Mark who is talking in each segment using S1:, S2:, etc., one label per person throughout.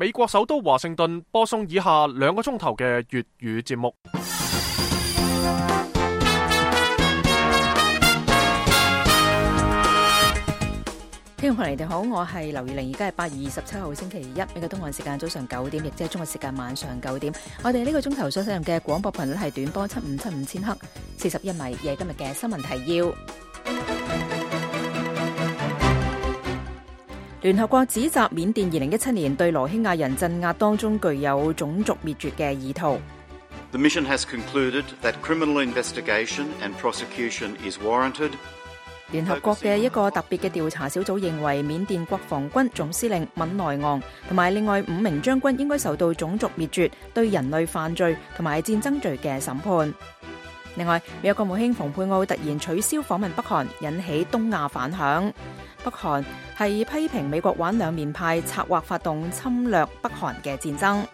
S1: 美國首都華盛頓播送以下2個鐘頭嘅粵語節目。
S2: 聽眾朋友你哋好，我係劉月玲，而家係8月27號星期一，美國東岸時間早上9點，亦即係中國時間晚上9點。我哋呢個鐘頭所使用嘅廣播頻率係短波7575千赫，41米。而今日嘅新聞提要：聯合國指責緬甸2017年對羅興亞人鎮壓當中具有種族滅絕嘅意圖。
S3: The mission has concluded that criminal investigation and prosecution is warranted.
S2: 聯合國嘅一個特別嘅調查小組認為，緬甸國防軍總司令敏昂萊同埋另外5名將軍應該受到種族滅絕、對人類犯罪同埋戰爭罪嘅審判。另外，美國國務卿蓬佩奧突然取消訪問北韓，引起東亞反響。北韓係批評美國玩兩面派，策劃發動侵略北韓嘅戰爭。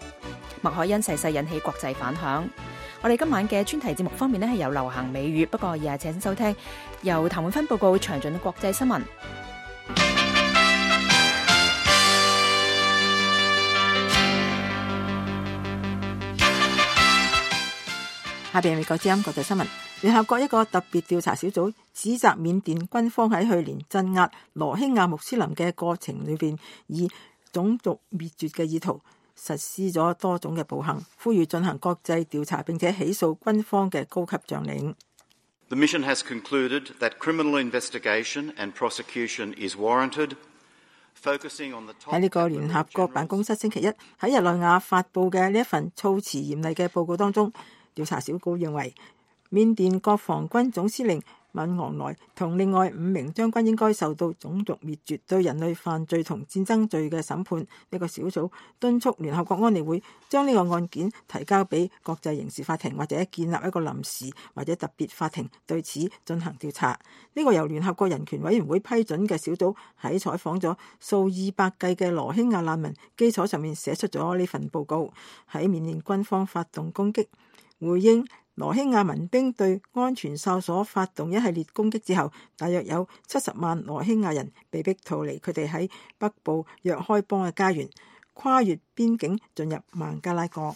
S2: 麥凱恩逝世引起國際反響。我哋今晚嘅專題節目方面呢係有流行美語，不過而家請收聽由譚永芬報告詳盡嘅國際新聞。
S4: 下邊美國之音國際新聞，聯合國一個特別調查小組指責緬甸軍方喺去年鎮壓羅興亞穆斯林嘅過程裏邊，以種族滅絕嘅意圖實施咗多種嘅暴行，呼籲進行國際調查並且起訴軍方嘅高級將領。
S3: The mission has concluded that criminal investigation and prosecution is warranted.
S4: 喺呢個聯合國辦公室星期一喺日內瓦發布嘅呢一份措辭嚴厲嘅報告當中，調查小組認為緬甸國防軍總司令敏昂萊同另外5名將軍應該受到種族滅絕、對人類犯罪同戰爭罪嘅審判。呢個小組敦促聯合國安理會將呢個案件提交俾國際刑事法庭，或者建立一個臨時或者特別法庭對此進行調查。呢個由聯合國人權委員會批准嘅小組喺採訪咗數以百計嘅羅興亞難民基礎上面寫出咗呢份報告。喺緬甸軍方發動攻擊回應羅興亞民兵對安全哨所發動一系列攻擊之後，大約有70萬羅興亞人被逼逃離佢哋喺北部若開邦嘅家園，跨越邊境進入孟加拉國。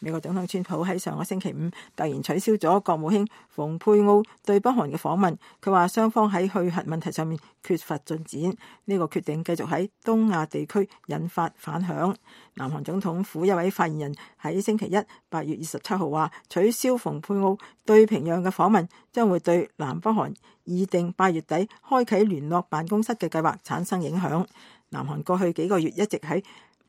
S4: 美國總統川普喺上個星期五突然取消咗國務卿蓬佩奧對北韓嘅訪問，佢話雙方喺去核問題上面缺乏進展，呢個決定繼續喺東亞地區引發反響。南韓總統府一位發言人喺星期一8月27號話，取消蓬佩奧對平壤嘅訪問將會對南北韓擬定8月底開啟聯絡辦公室嘅計劃產生影響。南韓過去幾個月一直喺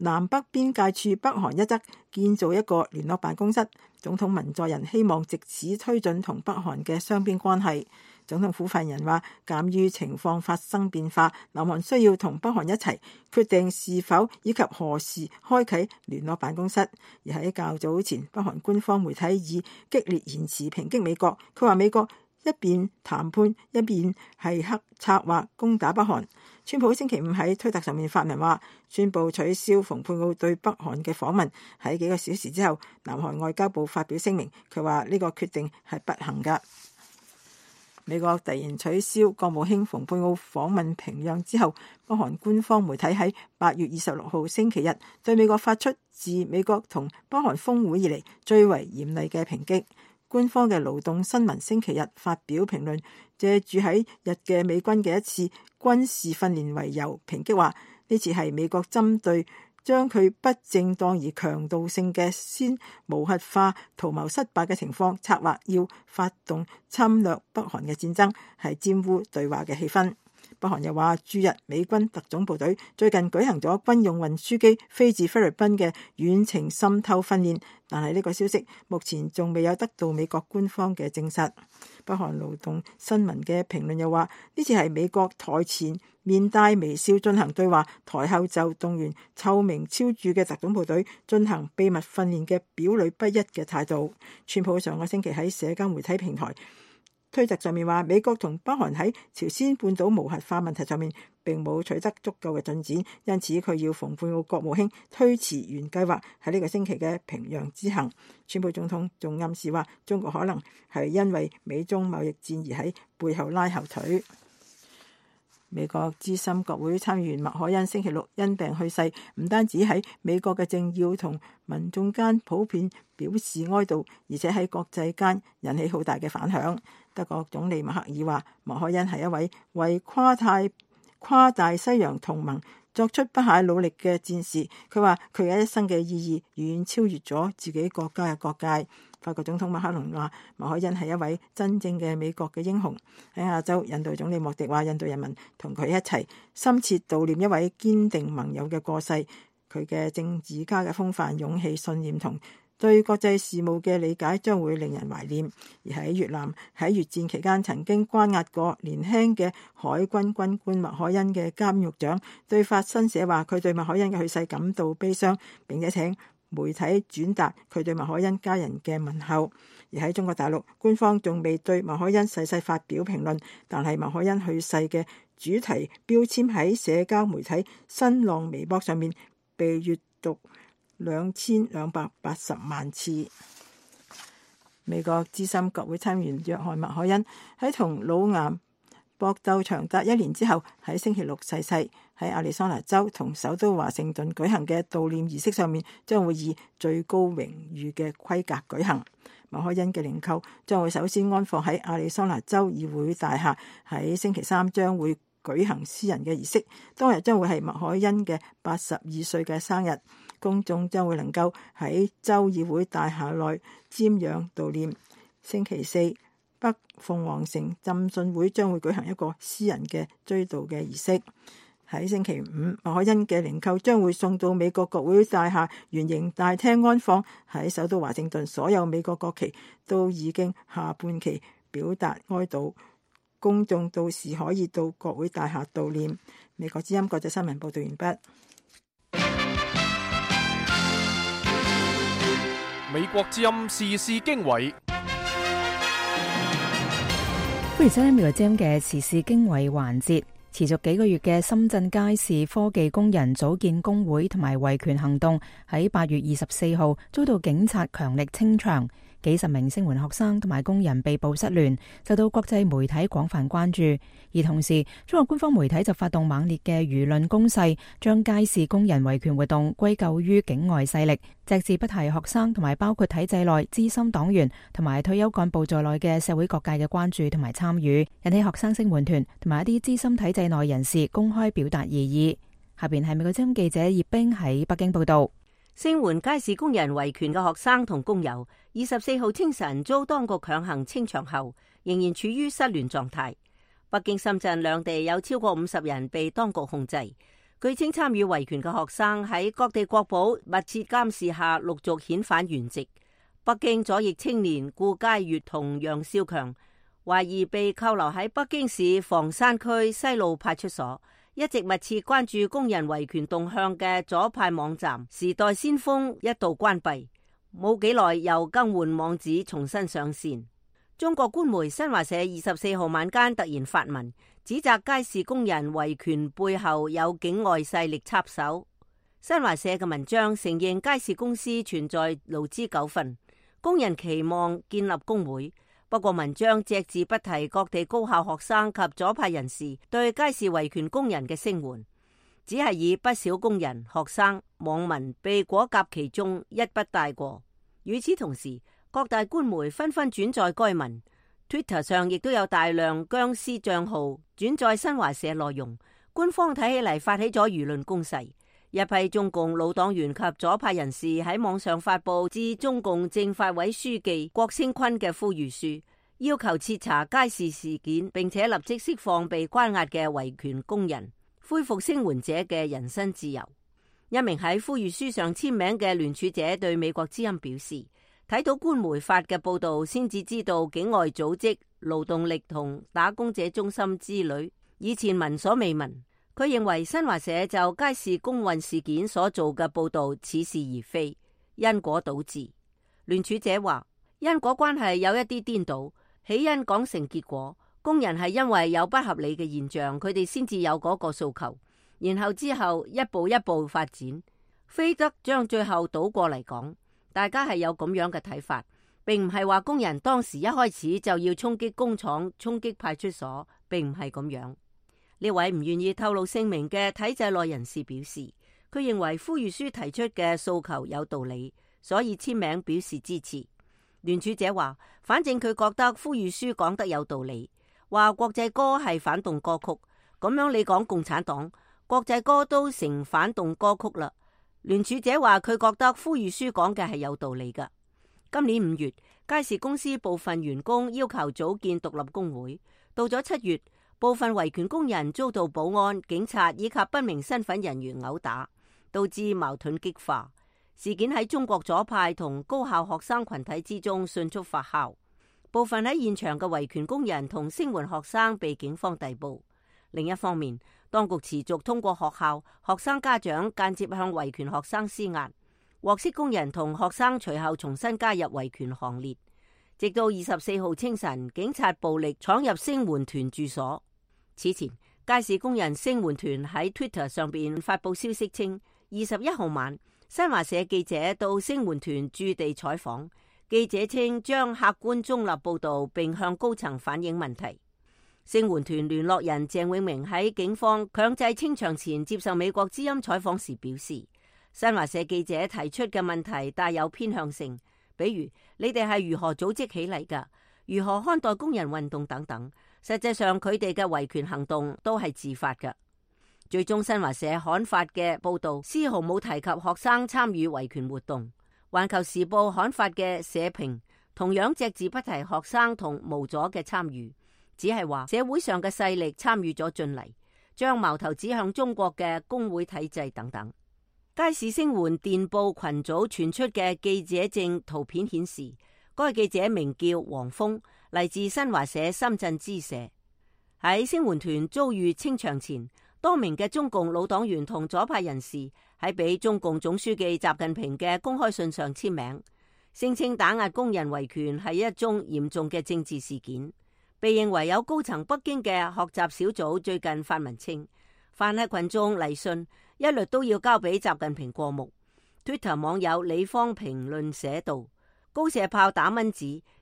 S4: 南北邊界處北韓一側建造一個聯絡辦公室，總統文在寅希望藉此推進同北韓嘅雙邊關係。總統府發言人話，鑑於情況發生變化，南韓需要同北韓一齊決定是否以及何時開啟聯絡辦公室。而喺較早前，北韓官方媒體以激烈言辭抨擊美國，佢話美國一邊談判一邊係策劃攻打北韓。川普星期五喺推特上面發文話，宣布取消蓬佩奧對北韓嘅訪問。喺幾個小時之後，南韓外交部發表聲明，佢話呢個決定係不幸㗎。美國突然取消國務卿蓬佩奧訪問平壤之後，北韓官方媒體喺8月26號星期日對美國發出自美國同北韓峰會以嚟最為嚴厲嘅抨擊。官方嘅勞動新聞星期日發表評論，借住喺日嘅美軍嘅一次軍事訓練為由，抨擊話呢次係美國針對將佢不正當而強盜性嘅先無核化圖謀失敗嘅情況，策劃要發動侵略北韓嘅戰爭，係玷污對話嘅氣氛。北韓又話，駐日美軍特種部隊最近舉行咗軍用運輸機飛至菲律賓嘅遠程滲透訓練，但係呢個消息目前仲未有得到美國官方嘅證實。北韓勞動新聞嘅評論又話，呢次係美國台前面帶微笑進行對話，台後就動員臭名昭著嘅特種部隊進行秘密訓練嘅表裏不一嘅態度。川普上個星期喺社交媒體平台推特上面話，美國同北韓喺朝鮮半島無核化問題上面並冇取得足夠嘅進展，因此佢要蓬佩奧國務卿推遲原計劃喺呢個星期嘅平壤之行。川普總統仲暗示話，中國可能係因為美中貿易戰而喺背後拉後腿。美國資深國會參議員麥凱恩星期六因病去世，唔單止喺美國嘅政要同民眾間普遍表示哀悼，而且喺國際間引起好大嘅反響。德國總理默克爾話，麥凱恩係一位為跨大西洋同盟作出不懈努力嘅戰士。佢話佢嘅一生嘅意義遠遠超越咗自己國家嘅國界。法國總統馬克龍話，麥凱恩係一位真正嘅美國嘅英雄。喺亞洲，印度總理莫迪話，印度人民同佢一齊深切悼念一位堅定盟友嘅過世。佢嘅政治家嘅風範、勇氣、信念同對國際事務嘅理解將會令人懷念。而喺越南，喺越戰期間曾經關押過年輕嘅海軍軍官麥凱恩嘅監獄長對法新社話，佢對麥凱恩嘅去世感到悲傷，並且請媒體轉達佢對麥凱恩家人嘅問候。而喺中國大陸，官方仲未對麥凱恩逝世發表評論，但係麥凱恩去世嘅主題標籤喺社交媒體新浪微博上面被閱讀2280萬次。美國資深國會參議員約翰麥凱恩喺同腦癌搏鬥長達1年之後，喺星期六逝世。喺亞利桑那州同首都華盛頓舉行嘅悼念儀式上面，將會以最高榮譽嘅規格舉行。麥凱恩嘅靈柩將會首先安放喺亞利桑那州議會大廈，喺星期三將會舉行私人嘅儀式。當日將會係麥凱恩嘅82歲嘅生日，公眾將會能夠喺州議會大廈內瞻仰悼念。星期四，北鳳凰城浸信會將會舉行一個私人嘅追悼嘅儀式。喺星期五，麥凱恩嘅靈柩將會送到美國國會大廈圓形大廳安放。喺首都華盛頓，所有美國國旗都已經下半旗表達哀悼，公眾到時可以到國會大廈悼念。美國之音國際新聞報道完畢。
S1: 美國之音時事經緯，
S2: 歡迎收聽美國之音嘅時事經緯環節。持續幾個月嘅深圳街市科技工人組建工會同埋維權行動喺8月24號遭到警察強力清場，幾十名聲援學生同埋工人被捕失聯，受到國際媒體廣泛關注。而同時，中國官方媒體就發動猛烈嘅輿論攻勢，將街市工人維權活動歸咎於境外勢力，隻字不提學生同埋包括體制內資深黨員同埋退休幹部在內嘅社會各界嘅關注同埋參與，引起學生聲援團同埋一啲資深體制內人士公開表達異議。下邊係美國之音記者葉冰喺北京報道。
S5: 聲援街市工人維權嘅學生同工友24號清晨遭當局強行清場後，仍然處於失聯狀態。北京、深圳兩地有超過50人被當局控制。據稱，參與維權嘅學生喺各地國保密切監視下陸續遣返原籍。北京左翼青年顧佳悅同楊少強懷疑被扣留喺北京市房山區西路派出所。一直密切關注工人維權動向嘅左派網站時代先鋒一度關閉，冇幾耐又更換網址重新上線。中國官媒新華社24號晚間突然發文，指責街市工人維權背後有境外勢力插手。新華社嘅文章承認街市公司存在勞資糾紛，工人期望建立工會。不過文章隻字不提各地高校學生及左派人士對街市維權工人嘅聲援，只係以不少工人、學生、網民被裹挾其中一筆帶過。與此同時，各大官媒紛紛轉載該文 ，Twitter 上亦都有大量僵屍賬號轉載新華社內容。官方睇起嚟發起咗輿論攻勢，一批中共老黨員及左派人士喺網上發佈致中共政法委書記郭聲琨嘅呼籲書，要求徹查街市事件，並且立即釋放被關押嘅維權工人，恢復聲援者嘅人身自由。一名喺呼籲書上簽名嘅聯署者對美國之音表示，睇到官媒發嘅報道，先至知道境外組織、勞動力同打工者中心之類，以前聞所未聞。佢認為新華社就街市工運事件所做嘅報道似是而非，因果倒置。聯署者話，因果關係有一啲顛倒，起因講成結果，工人係因為有不合理嘅現象，佢哋先至有嗰個訴求，然後之後一步一步發展，非得將最後倒過嚟講。大家係有咁樣嘅睇法，並唔係話工人當時一開始就要衝擊工廠、衝擊派出所，並唔係咁樣。呢位唔願意透露姓名嘅體制內人士表示，佢認為呼籲書提出嘅訴求有道理，所以簽名表示支持。聯署者話，反正佢覺得呼籲書講得有道理，話國際歌係反動歌曲，咁樣你講共產黨，國際歌都成反動歌曲啦。聯署者話佢覺得呼籲書講嘅係有道理㗎。今年5月，佳士公司部分員工要求組建獨立工會，到咗7月，部分維權工人遭到保安、警察以及不明身份人員毆打，導致矛盾激化。事件喺中國左派同高校學生群體之中迅速發酵，部分喺現場嘅維權工人同聲援學生被警方逮捕。另一方面，當局持續通過學校、學生家長間接向維權學生施壓，獲釋工人同學生隨後重新加入維權行列，直到24號清晨，警察暴力闖入聲援團住所。此前，佳士工人聲援團喺 Twitter 上邊發佈消息稱，21號晚，新華社記者到聲援團駐地採訪，記者稱將客觀中立報導並向高層反映問題。聲援團聯絡人鄭永明喺警方強制清場前接受美國之音採訪時表示，新華社記者提出嘅問題帶有偏向性，比如你哋係如何組織起嚟㗎，如何看待工人運動等等。實際上佢哋嘅維權行動都係自發嘅。最終新華社刊發嘅報導絲毫冇提及學生參與維權活動。環球時報刊發嘅社評同樣隻字不提學生同無阻嘅參與，只係話社會上嘅勢力參與咗進嚟，將矛頭指向中國嘅工會體制等等。佳士聲援電報群組傳出嘅記者證圖片顯示，該記者名叫黃峰，嚟自新華社深圳支社。喺聲援團遭遇清場前，多名嘅中共老黨員同左派人士喺俾中共總書記習近平嘅公開信上簽名，聲稱打壓工人維權係一宗嚴重嘅政治事件。被認為有高層北京嘅學習小組最近發文稱，凡係群眾嚟信，一律都要交俾習近平過目。Twitter 網友李方評論寫道，高射炮打蚊子，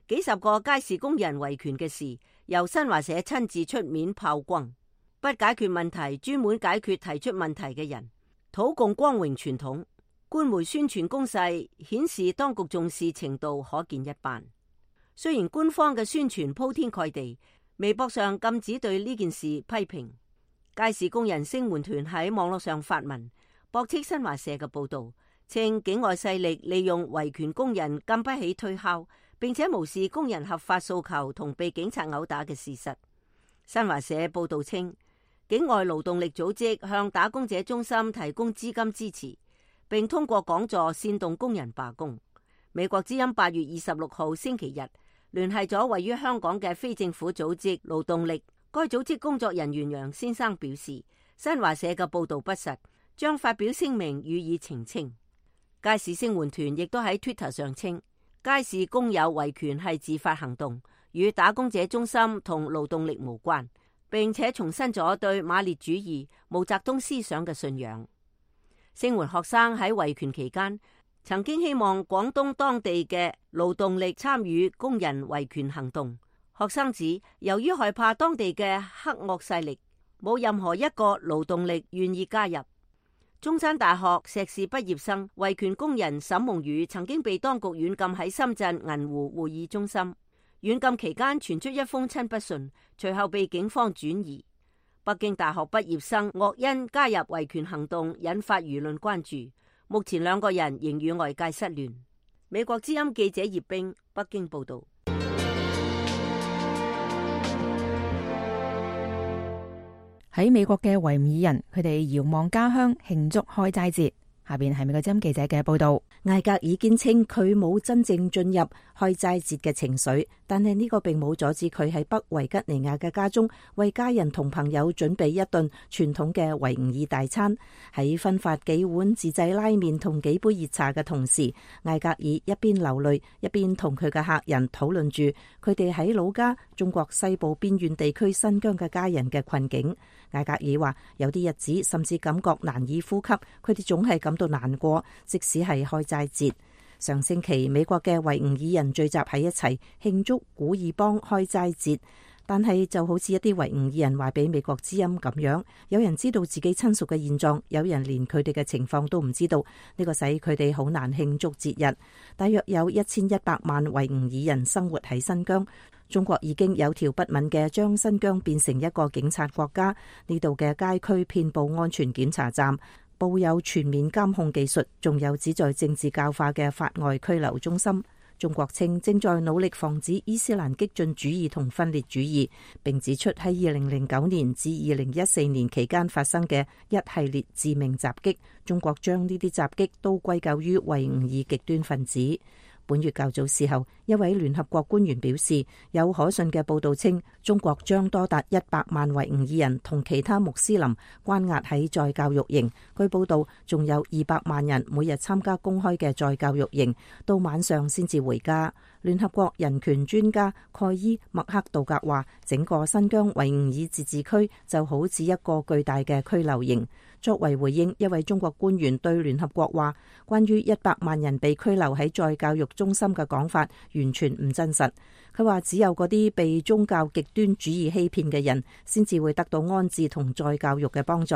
S5: 幾十個佳士工人維權嘅事，由新華社親自出面炮轟。不解決問題，專門解決提出問題嘅人，土共光榮傳統。官媒宣傳攻勢顯示當局重視程度可見一斑。雖然官方嘅宣傳鋪天蓋地，微博上禁止對呢件事批評。佳士工人聲援團喺網絡上發文，駁斥新華社嘅報導，稱境外勢力利用維權工人禁不起推敲，並且無視工人合法訴求同被警察毆打嘅事實。新華社報導稱，境外勞動力組織向打工者中心提供資金支持，並通過講座煽動工人罷工。美國之音8月26號星期日聯繫咗位於香港嘅非政府組織勞動力，該組織工作人員楊先生表示，新華社嘅報導不實，將發表聲明予以澄清。佳士聲援團亦都喺 Twitter 上稱，佳士工友維權係自發行動，與打工者中心同勞動力無關，並且重申咗對馬列主義、毛澤東思想嘅信仰。聲援學生喺維權期間曾經希望廣東當地嘅勞動力參與工人維權行動。學生指，由於害怕當地嘅黑惡勢力，冇任何一個勞動力願意加入。中山大學碩士畢業生維權工人沈夢雨曾經被當局軟禁喺深圳銀湖會議中心。軟禁期間傳出一封親筆信，隨後被警方轉移。北京大學畢業生岳恩加入維權行動，引發輿論關注。目前兩個人仍與外界失聯。美國之音記者葉冰北京報道。
S2: 喺美國嘅維吾爾人，佢哋遙望家鄉慶祝開齋節。下邊係美國之音記者嘅報道。
S6: 艾格爾堅稱佢冇真正進入開齋節嘅情緒，但係呢個並冇阻止佢喺北維吉尼亞嘅家中為家人同朋友準備一頓傳統嘅維吾爾大餐。喺分發幾碗自製拉麵同幾杯熱茶嘅同時，艾格爾一邊流淚一邊同佢嘅客人討論住佢哋喺老家中國西部邊遠地區新疆嘅家人嘅困境。艾格爾話有啲日子甚至感覺難以呼吸，佢哋總係感到難過，即使係開齋節。上星期美國嘅維吾爾人聚集喺一齊慶祝古爾邦開齋節，但係就好似一啲維吾爾人話俾美國之音咁樣，有人知道自己親屬嘅現狀，有人連佢哋嘅情況都唔知道，呢個使佢哋好難慶祝節日。大約有1100萬維吾爾人生活喺新疆。中國已經有條不紊嘅將新疆變成一個警察國家，呢度嘅街區遍佈安全檢查站，佈有全面監控技術，仲有旨在政治教化嘅法外拘留中心。中國稱正在努力防止伊斯蘭激進主義同分裂主義，並指出喺2009年至2014年期間發生嘅一系列致命襲擊，中國將呢啲襲擊都歸咎於維吾爾極端分子。本月較早時候，一位聯合國官員表示，有可信嘅報道稱，中國將多達100萬維吾爾人同其他穆斯林關押喺再教育營。據報道，仲有200萬人每日參加公開嘅再教育營，到晚上先至回家。聯合國人權專家蓋伊麥克道格話，整個新疆維吾爾自治區就好似一個巨大嘅拘留營。作為回應，一位中國官員對聯合國話，關於100萬人被拘留喺再教育中心嘅講法完全唔真實。佢話只有嗰啲被宗教極端主義欺騙嘅人先至會得到安置同再教育嘅幫助。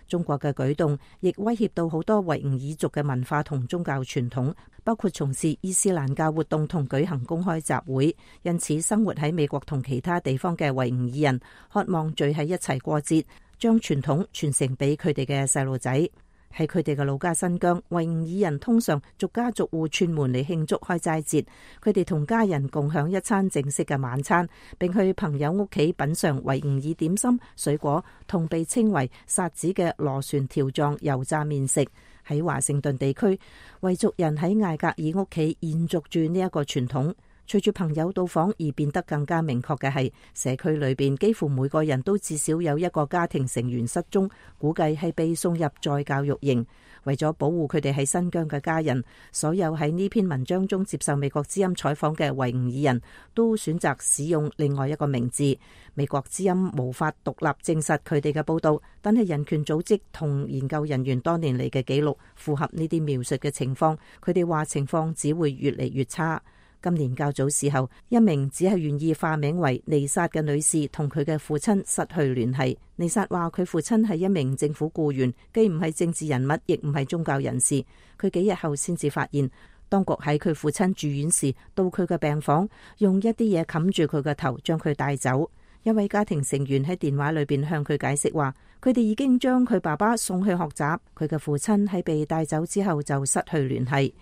S6: 中國嘅舉動亦威脅到好多維吾爾族嘅文化同宗教傳統，包括從事伊斯蘭教活動同舉行公開集會。因此，生活喺美國同其他地方嘅維吾爾人渴望聚喺一齊過節，將傳統傳承俾佢哋嘅細路仔。喺佢哋嘅老家新疆，維吾爾人通常逐家逐戶串門嚟慶祝開齋節。佢哋同家人共享一餐正式嘅晚餐，並去朋友屋企品嘗維吾爾點心、水果同被稱為薩子嘅螺旋條狀油炸麵食。喺華盛頓地區，維族人喺艾格爾屋企延續住呢一個傳統。隨住朋友到訪而變得更加明確嘅係，社區裏邊幾乎每個人都至少有一個家庭成員失蹤，估計係被送入再教育營。為咗保護佢哋喺新疆嘅家人，所有喺呢篇文章中接受美國之音採訪嘅維吾爾人都選擇使用另外一個名字。美國之音無法獨立證實佢哋嘅報道，但係人權組織同研究人員多年嚟嘅記錄符合呢啲描述嘅情況。佢哋話情況只會越嚟越差。今年較早時候，一名只係願意化名為尼薩嘅女士同佢嘅父親失去聯繫。尼薩話佢父親係一名政府僱員，既唔係政治人物，亦唔係宗教人士。佢幾日後先至發現，當局喺佢父親住院時到佢嘅病房，用一啲嘢冚住佢嘅頭，將佢帶走。一位家庭成員喺電話裏邊向佢解釋話，佢哋已經將佢爸爸送去學習，佢嘅父親喺被帶走之後就失去聯繫。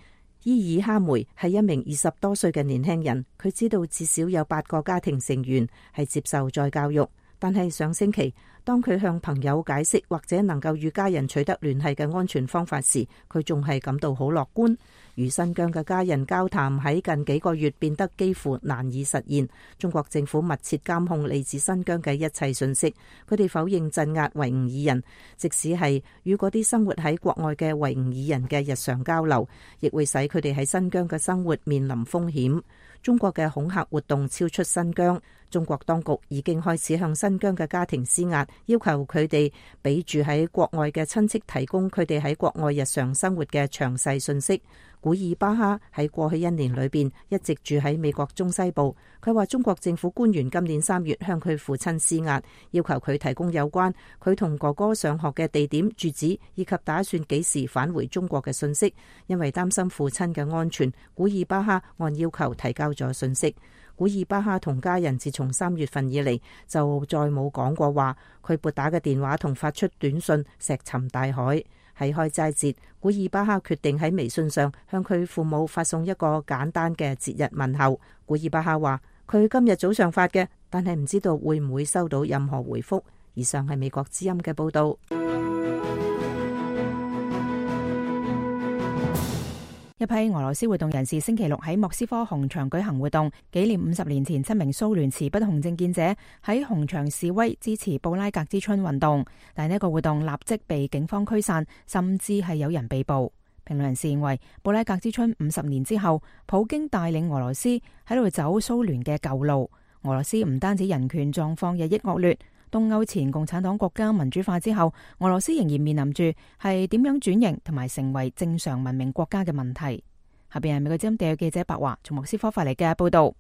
S6: 伊爾哈梅係一名20多歲嘅年輕人，佢知道至少有8個家庭成員係接受再教育，但係上星期當佢向朋友解釋或者能夠與家人取得聯繫嘅安全方法時，佢仲係感到好樂觀。與新疆嘅家人交談喺近幾個月變得幾乎難以實現。中國政府密切監控嚟自新疆嘅一切信息，佢哋否認鎮壓維吾爾人，即使係與嗰啲生活喺國外嘅維吾爾人嘅日常交流，亦會使佢哋喺新疆嘅生活面臨風險。中國嘅恐嚇活動超出新疆，中國當局已經開始向新疆嘅家庭施壓，要求佢哋俾住喺國外嘅親戚提供佢哋喺國外日常生活嘅詳細信息。古爾巴哈喺過去1年裏邊一直住喺美國中西部。佢話中國政府官員今年3月向佢父親施壓，要求佢提供有關佢同哥哥上學嘅地點、住址以及打算幾時返回中國嘅信息。因為擔心父親嘅安全，古爾巴哈按要求提交咗信息。古爾巴哈同家人自從3月份以嚟就再冇講過話，佢撥打嘅電話同發出短信石沉大海。喺開齋節，古爾巴哈決定喺微信上向佢父母發送一個簡單嘅節日問候。古爾巴哈話佢今日早上發嘅，但係唔知道會唔會收到任何回覆。以上係美國之音嘅報道。
S2: 一批俄羅斯活動人士星期六喺莫斯科紅場舉行活動，紀念50年前7名蘇聯持不同政見者喺紅場示威支持布拉格之春運動，但呢一個活動立即被警方驅散，甚至係有人被捕。評論人士認為，布拉格之春50年之後，普京帶領俄羅斯喺度走蘇聯嘅舊路。俄羅斯唔單止人權狀況日益惡劣，東歐前共產黨國家民主化之後，俄羅斯仍然面臨住係點樣轉型同埋成為正常文明國家嘅問題。下邊係美國之音地記者白華從莫斯科發嚟嘅報道。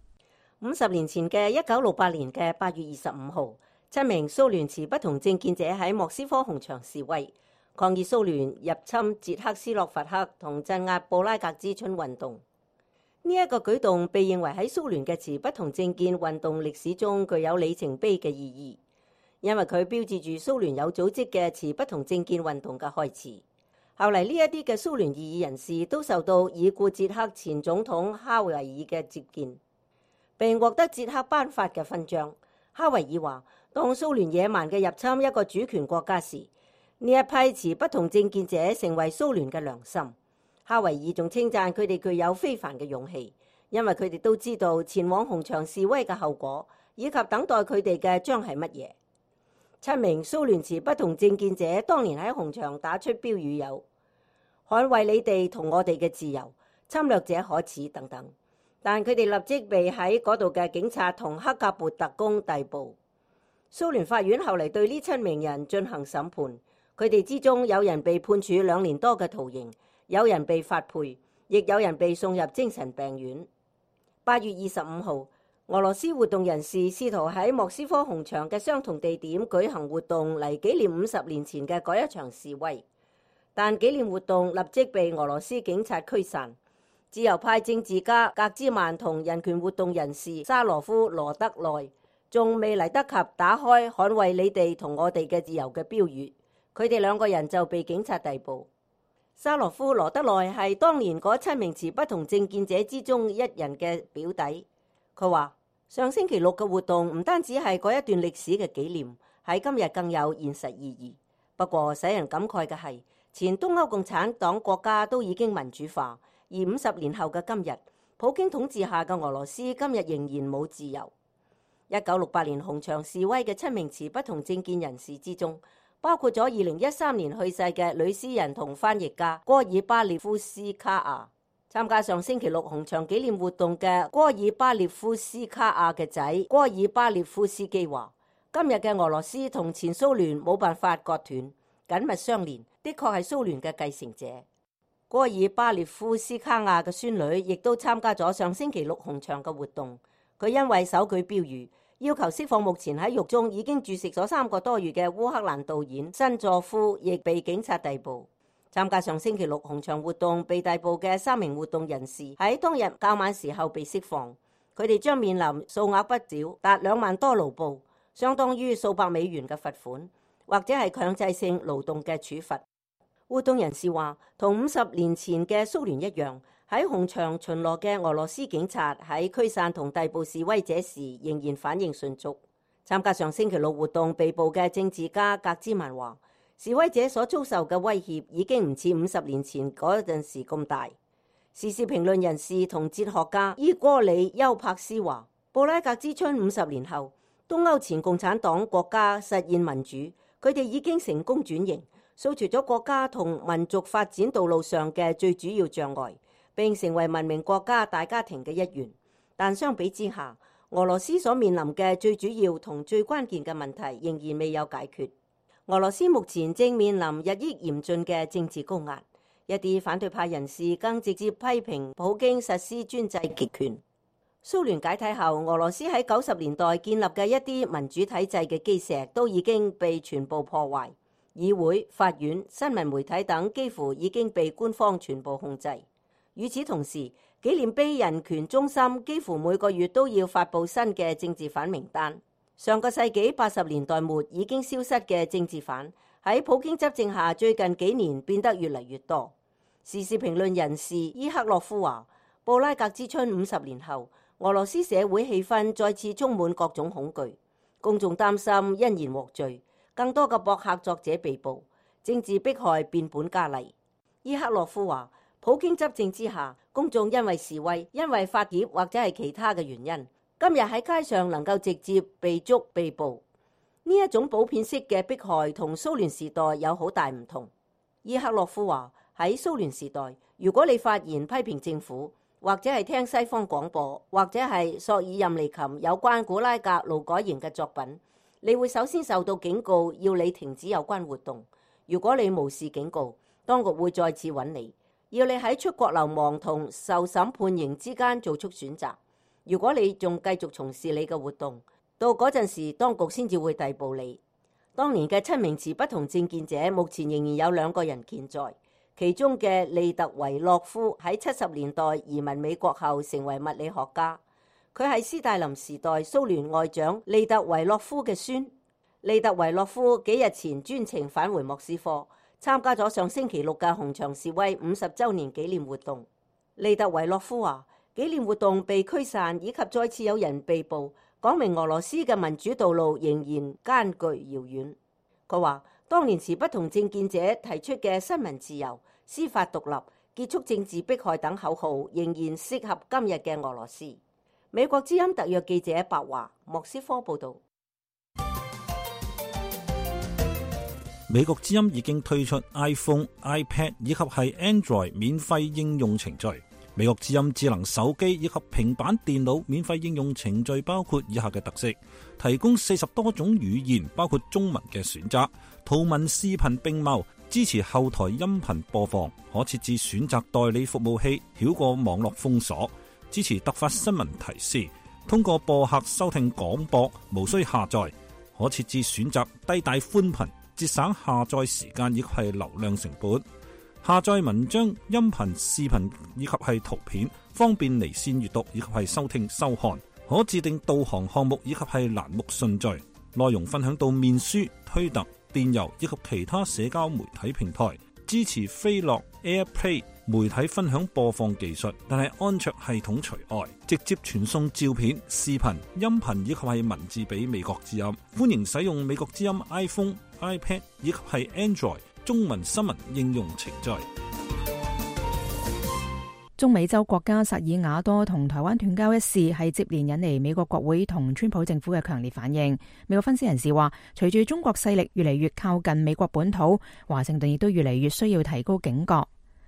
S5: 50年前嘅1968年嘅8月25號，7名蘇聯持不同政見者喺莫斯科紅場示威，抗議蘇聯入侵捷克斯洛伐克同鎮壓布拉格之春運動。呢一個舉動被認為喺蘇聯嘅持不同政見運動歷史中具有里程碑嘅意義，因為佢標誌住蘇聯有組織嘅持不同政見運動嘅開始。後嚟呢一啲嘅蘇聯異議人士都受到已故捷克前總統哈維爾嘅接見，並獲得捷克頒發嘅勳章。哈維爾話：當蘇聯野蠻嘅入侵一個主權國家時，呢一批持不同政見者成為蘇聯嘅良心。哈維爾仲稱讚佢哋具有非凡嘅勇氣，因為佢哋都知道前往紅場示威嘅後果，以及等待佢哋嘅將係乜嘢。7名蘇聯持不同政見者當年喺紅場打出標語有：捍衛你哋同我哋嘅自由，侵略者可恥等等。但佢哋立即被喺嗰度嘅警察同克格勃特工逮捕。蘇聯法院後嚟對呢7名人進行審判，佢哋之中有人被判處2年多嘅徒刑，有人被發配，亦有人被送入精神病院。8月25號，俄羅斯活動人士試圖喺莫斯科紅場嘅相同地點舉行活動嚟紀念50年前嘅嗰一場示威，但紀念活動立即被俄羅斯警察驅散。自由派政治家格茲曼同人權活動人士沙羅夫羅德內仲未嚟得及打開捍衛你哋同我哋嘅自由嘅標語，佢哋2個人就被警察逮捕。沙羅夫羅德內係當年嗰7名持不同政見者之中一人嘅表弟。佢話：上星期6嘅活動唔單止係嗰一段歷史嘅紀念，喺今日更有現實意義。不過使人感慨嘅係，前東歐共產黨國家都已經民主化，而50年後嘅今日，普京統治下嘅俄羅斯今日仍然冇自由。1968年紅場示威嘅7名持不同政見人士之中，包括咗2013年去世嘅女詩人同翻譯家戈爾巴列夫斯卡亞。參加上星期6紅場紀念活動嘅戈爾巴列夫斯卡亞嘅仔戈爾巴列夫斯基話：今日嘅俄羅斯同前蘇聯冇辦法割斷，緊密相連，的確係蘇聯嘅繼承者。戈爾巴列夫斯卡亞嘅孫女亦都參加咗上星期6紅場嘅活動，佢因為手舉標語要求釋放目前喺獄中已經注釋咗3個多月嘅烏克蘭導演辛佐夫，亦被警察逮捕。參加上星期6紅場活動被逮捕嘅3名活動人士喺當日較晚時候被釋放，佢哋將面臨數額不少達2萬多盧布，相當於數百美元嘅罰款，或者係強制性勞動嘅處罰。活動人士話，同50年前嘅蘇聯一樣，喺紅場巡邏嘅俄羅斯警察喺驅散同逮捕示威者時仍然反應迅速。參加上星期6活動被捕嘅政治家格茲曼話，示威者所遭受嘅威脅已經唔似50年前嗰陣時咁大。時事評論人士同哲學家伊戈里丘柏斯話，布拉格之春50年後，東歐前共產黨國家實現民主，佢哋已經成功轉型，掃除咗國家同民族發展道路上嘅最主要障礙，並成為文明國家大家庭嘅一員。但相比之下，俄羅斯所面臨嘅最主要同最關鍵嘅問題仍然未有解決。俄羅斯目前正面臨日益嚴峻嘅政治高壓，一啲反對派人士更直接批評普京實施專制極權。蘇聯解體後，俄羅斯喺90年代建立嘅一啲民主體制嘅基石都已經被全部破壞，議會、法院、新聞媒體等幾乎已經被官方全部控制。與此同時，紀念碑人權中心幾乎每個月都要發布新嘅政治犯名單。上個世紀80年代末已經消失嘅政治犯，喺普京執政下最近幾年變得越嚟越多。時事評論人士伊克洛夫話，布拉格之春50年後，俄羅斯社會氣氛再次充滿各種恐懼，公眾擔心因言獲罪，更多嘅博客作者被捕，政治迫害變本加厲。伊克洛夫話，普京執政之下，公眾因為示威、因為發帖或者係其他嘅原因，今日喺街上能夠直接被捉被捕，呢一種普遍式嘅迫害同蘇聯時代有好大唔同。伊克洛夫話，喺蘇聯時代，如果你發言批評政府，或者係聽西方廣播，或者係索爾任尼琴有關古拉格勞改營嘅作品，你會首先受到警告，要你停止有關活動。如果你無視警告，當局會再次揾你，要你喺出國流亡同受審判刑之間做出選擇。如果你仲繼續從事你嘅活動，到嗰陣時當局先至會逮捕你。當年嘅7名持不同政見者，目前仍然有2個人健在。其中嘅利特維洛夫喺70年代移民美國後成為物理學家，佢係斯大林時代蘇聯外長利特維洛夫嘅孫。利特維洛夫幾日前專程返回莫斯科，參加咗上星期6嘅紅場示威50週年紀念活動。利特維洛夫話，紀念活動被驅散以及再次有人被捕，講明俄羅斯嘅民主道路仍然艱巨遙遠。佢話，當年持不同政見者提出嘅新聞自由、司法獨立、結束政治迫害等口號，仍然適合今日嘅俄羅斯。美國之音特約記者白華，莫斯科報道。
S7: 美國之音已經推出 iPhone、iPad 以及係 Android 免費應用程序。美國之音智能手機以及平板電腦免費應用程序包括以下嘅特色：提供40多種語言，包括中文嘅選擇，圖文視頻並茂，支持後台音頻播放，可設置選擇代理服務器，繞過網絡封鎖，支持突發新聞提示，通過播客收聽廣播，無需下載，可設置選擇低帶寬頻，節省下載時間以及係流量成本。下載文章、音頻、視頻以及係圖片，方便離線閱讀以及係收聽收看。可自定導航項目以及係欄目順序。內容分享到面書、推特、電郵以及其他社交媒體平台。支持飛樂 AirPlay 媒體分享播放技術，但係安卓系統除外。直接傳送照片、視頻、音頻以及係文字俾美國之音。歡迎使用美國之音 iPhone、iPad 以及係 Android中文新聞應用程序。
S2: 中美洲國家薩爾瓦多同台灣斷交一事係接連引嚟美國國會同川普政府嘅強烈反應。美國分析人士話，隨住中國勢力越嚟越靠近美國本土，華盛頓亦都越嚟越需要提高警覺。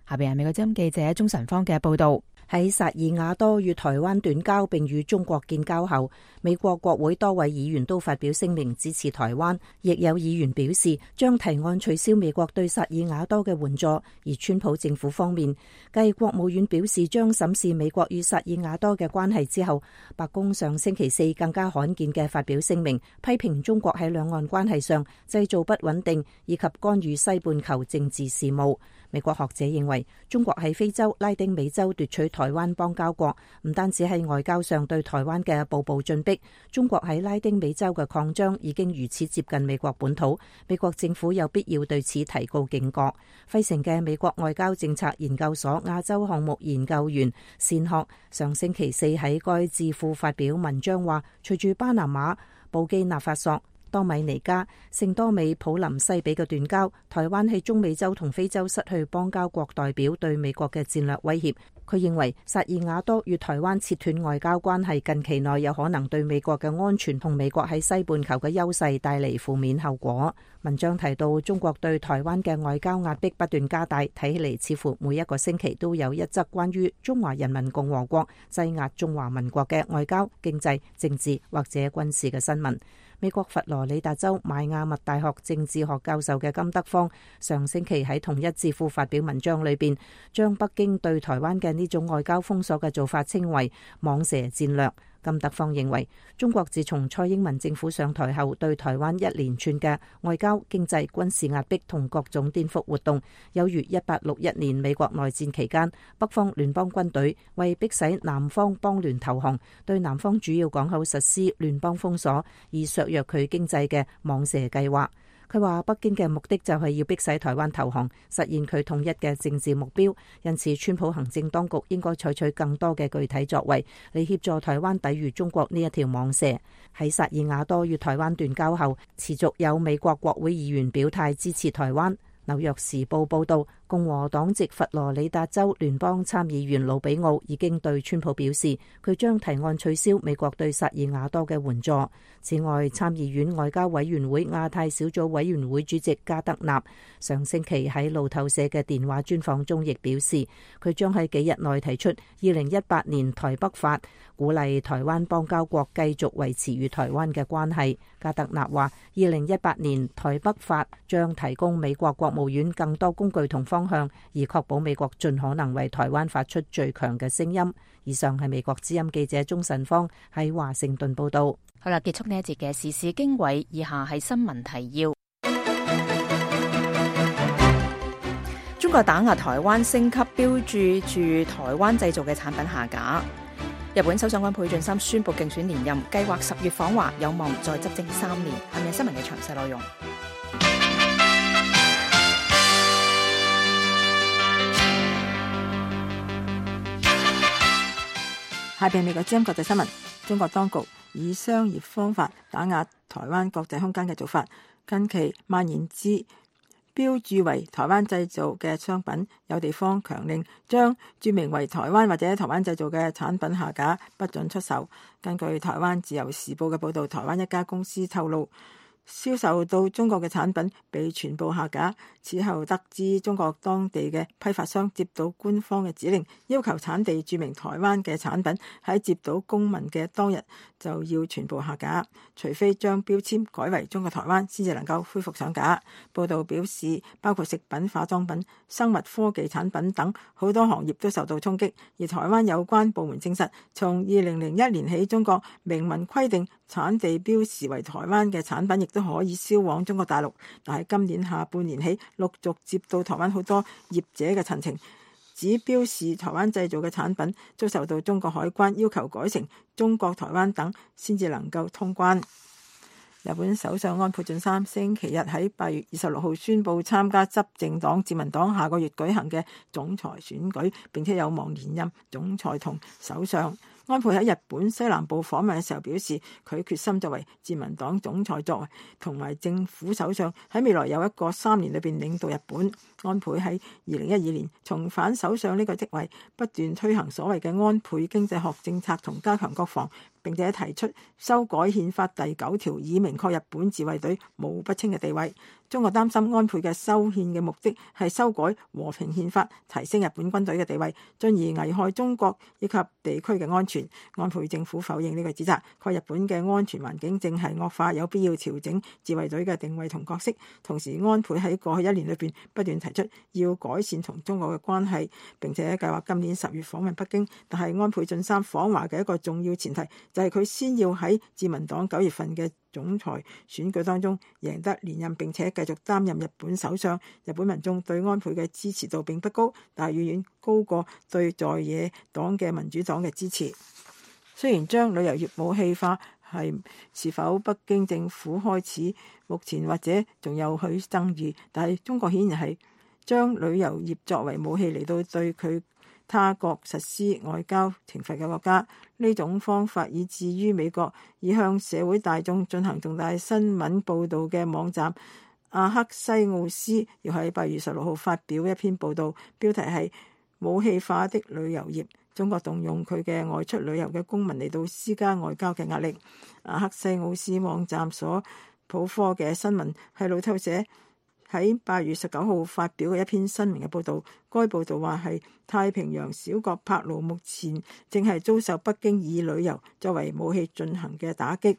S2: 下邊係美國之音記者鍾晨芳嘅報道。
S6: 喺薩爾瓦多與台灣斷交並與中國建交後，美國國會多位議員都發表聲明支持台灣，亦有議員表示將提案取消美國對薩爾瓦多嘅援助。而川普政府方面，繼國務院表示將審視美國與薩爾瓦多嘅關係之後，白宮上星期4更加罕見嘅發表聲明，批評中國喺兩岸關係上製造不穩定以及干預西半球政治事務。美國學者認為，中國喺非洲、拉丁美洲奪取台灣邦交國，唔單止係外交上對台灣嘅步步進逼，中國喺拉丁美洲嘅擴張已經如此接近美國本土，美國政府有必要對此提高警覺。費城嘅美國外交政策研究所亞洲項目研究員善學上星期4喺該智庫發表文章話，隨住巴拿馬、布基納法索、多米尼加、聖多美普林西比嘅斷交，台灣喺中美洲同非洲失去邦交國代表對美國嘅戰略威脅。佢認為薩爾瓦多與台灣切斷外交關係，近期內有可能對美國嘅安全同美國喺西半球嘅優勢帶嚟負面後果。文章提到，中國對台灣嘅外交壓迫不斷加大，睇起嚟似乎每一個星期都有一則關於中華人民共和國擠壓中華民國嘅外交、經濟、政治或者軍事嘅新聞。美國佛羅里達州邁阿密大學政治學教授嘅金德芳上星期喺同一智庫發表文章裏邊，將北京對台灣嘅呢種外交封鎖嘅做法稱為蟒蛇戰略。金德芳認為，中國自從蔡英文政府上台後，對台灣一連串嘅外交、經濟、軍事壓迫同各種顛覆活動，有如1861年美國內戰期間，北方聯邦軍隊為迫使南方邦聯投降，對南方主要港口實施聯邦封鎖，以削弱佢經濟嘅蟒蛇計劃。佢話北京嘅目的就係要迫使台灣投降，實現佢統一嘅政治目標，因此川普行政當局應該採取更多嘅具體作為嚟協助台灣抵禦中國呢一條蟒蛇。喺薩爾瓦多與台灣斷交後，持續有美國國會議員表態支持台灣。紐約時報報道，共和黨籍佛羅里達州聯邦參議員魯比奧已經對川普表示，佢將提案取消美國對薩爾瓦多嘅援助。此外，參議院外交委員會亞太小組委員會主席加德納上星期喺路透社嘅電話專訪中亦表示，佢將喺幾日內提出2018年台北法，鼓勵台灣邦交國繼續維持與台灣嘅關係。加德納話，2018年台北法將提供美國國務院更多工具同方方向，而確保美國盡可能為台灣發出最強嘅聲音。以上係美國之音記者鍾晨芳喺華盛頓報道。
S2: 好啦，結束呢一節嘅時事經緯，以下係新聞提要。中國打壓台灣升級標註住台灣製造嘅產品下架。日本首相安倍晉三宣布競選連任，計劃10月訪華，有望再執政3年。下面係新聞嘅詳細內容。
S4: 下邊美國之音國際新聞。中國當局以商業方法打壓台灣國際空間嘅做法，近期蔓延至標註為台灣製造嘅商品，有地方強令將註明為台灣或者台灣製造嘅產品下架，不准出售。根據台灣自由時報嘅報導，台灣一家公司透露，銷售到中國嘅產品被全部下架。此後得知中國當地嘅批發商接到官方嘅指令，要求產地註明台灣嘅產品喺接到公文嘅當日就要全部下架，除非將標籤改為中國台灣先至能夠恢復上架。報道表示，包括食品、化妝品、生物科技產品等好多行業都受到衝擊，而台灣有關部門證實，從2001年起，中國明文規定產地標示為台灣嘅產品亦都可以銷往中國大陸，但係今年下半年起陸續接到台灣好多業者嘅陳情，指標示台灣製造嘅產品遭受到中國海關要求改成中國台灣等先至能夠通關。日本首相安倍晉三星期日喺8月26號宣布參加執政黨自民黨下個月舉行嘅總裁選舉，並且有望連任總裁同首相。安倍喺日本西南部訪問嘅時候表示，佢決心作為自民黨總裁作為同埋政府首相，喺未來有一個3年裏邊領導日本。安倍喺2012年重返首相呢個職位，不斷推行所謂嘅安倍經濟學政策同加強國防，並且提出修改憲法第9條，以明確日本自衛隊冇不稱嘅地位。中國擔心安倍嘅修憲嘅目的係修改和平憲法，提升日本軍隊嘅地位，進而危害中國以及地區嘅安全。安倍政府否認呢個指責，確日本嘅安全環境正係惡化，有必要調整自衛隊嘅定位同角色。同時，安倍喺過去1年裏邊不斷提出要改善同中國嘅關係，並且計劃今年10月訪問北京。但係安倍晉三訪華嘅一個重要前提就係佢先要喺自民黨9月份嘅總裁選舉當中贏得連任，並且繼續擔任日本首相。日本民眾對安倍嘅支持度並不高，但係遠遠高過對在野黨嘅民主黨嘅支持。雖然將旅遊業武器化是否北京政府開始，目前或者仲有許爭議，但係中國顯然係將旅遊業作為武器嚟到對他國實施外交懲罰嘅國家。呢種方法以至於美國已向社會大眾進行重大新聞報導嘅網站阿克西奧斯，要喺8月16號發表一篇報導，標題係武器化的旅遊業，中國動用佢嘅外出旅遊嘅公民嚟到施加外交嘅壓力。阿克西奧斯網站所普科嘅新聞係路透社喺8月19號發表嘅一篇新聞嘅報導。該報導話係太平洋小國帕勞目前正係遭受北京以旅遊作為武器進行嘅打擊。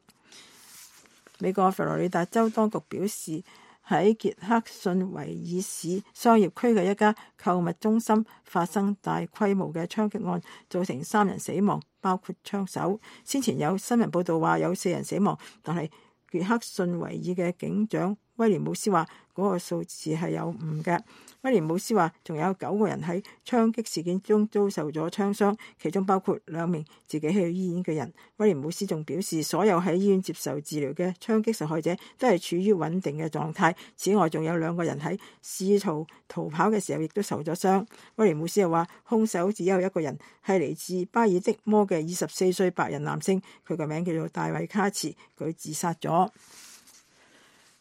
S4: 美國佛羅里達州當局表示，喺傑克遜維爾市商業區嘅一家購物中心發生大規模嘅槍擊案，造成3人死亡，包括槍手。先前有新聞報導話有4人死亡，但係傑克遜維爾嘅警長威廉姆斯話嗰個數字係有誤嘅。威廉姆斯話仲有9個人喺槍擊事件中遭受咗槍傷，其中包括2名自己去醫院嘅人。威廉姆斯仲表示，所有喺醫院接受治療嘅槍擊受害者都係處於穩定嘅狀態。此外，仲有2個人喺試圖逃跑嘅時候亦都受咗傷。威廉姆斯又話，兇手只有1個人，係嚟自巴爾的摩嘅24歲白人男性，佢個名叫做大衛卡茨，佢自殺咗。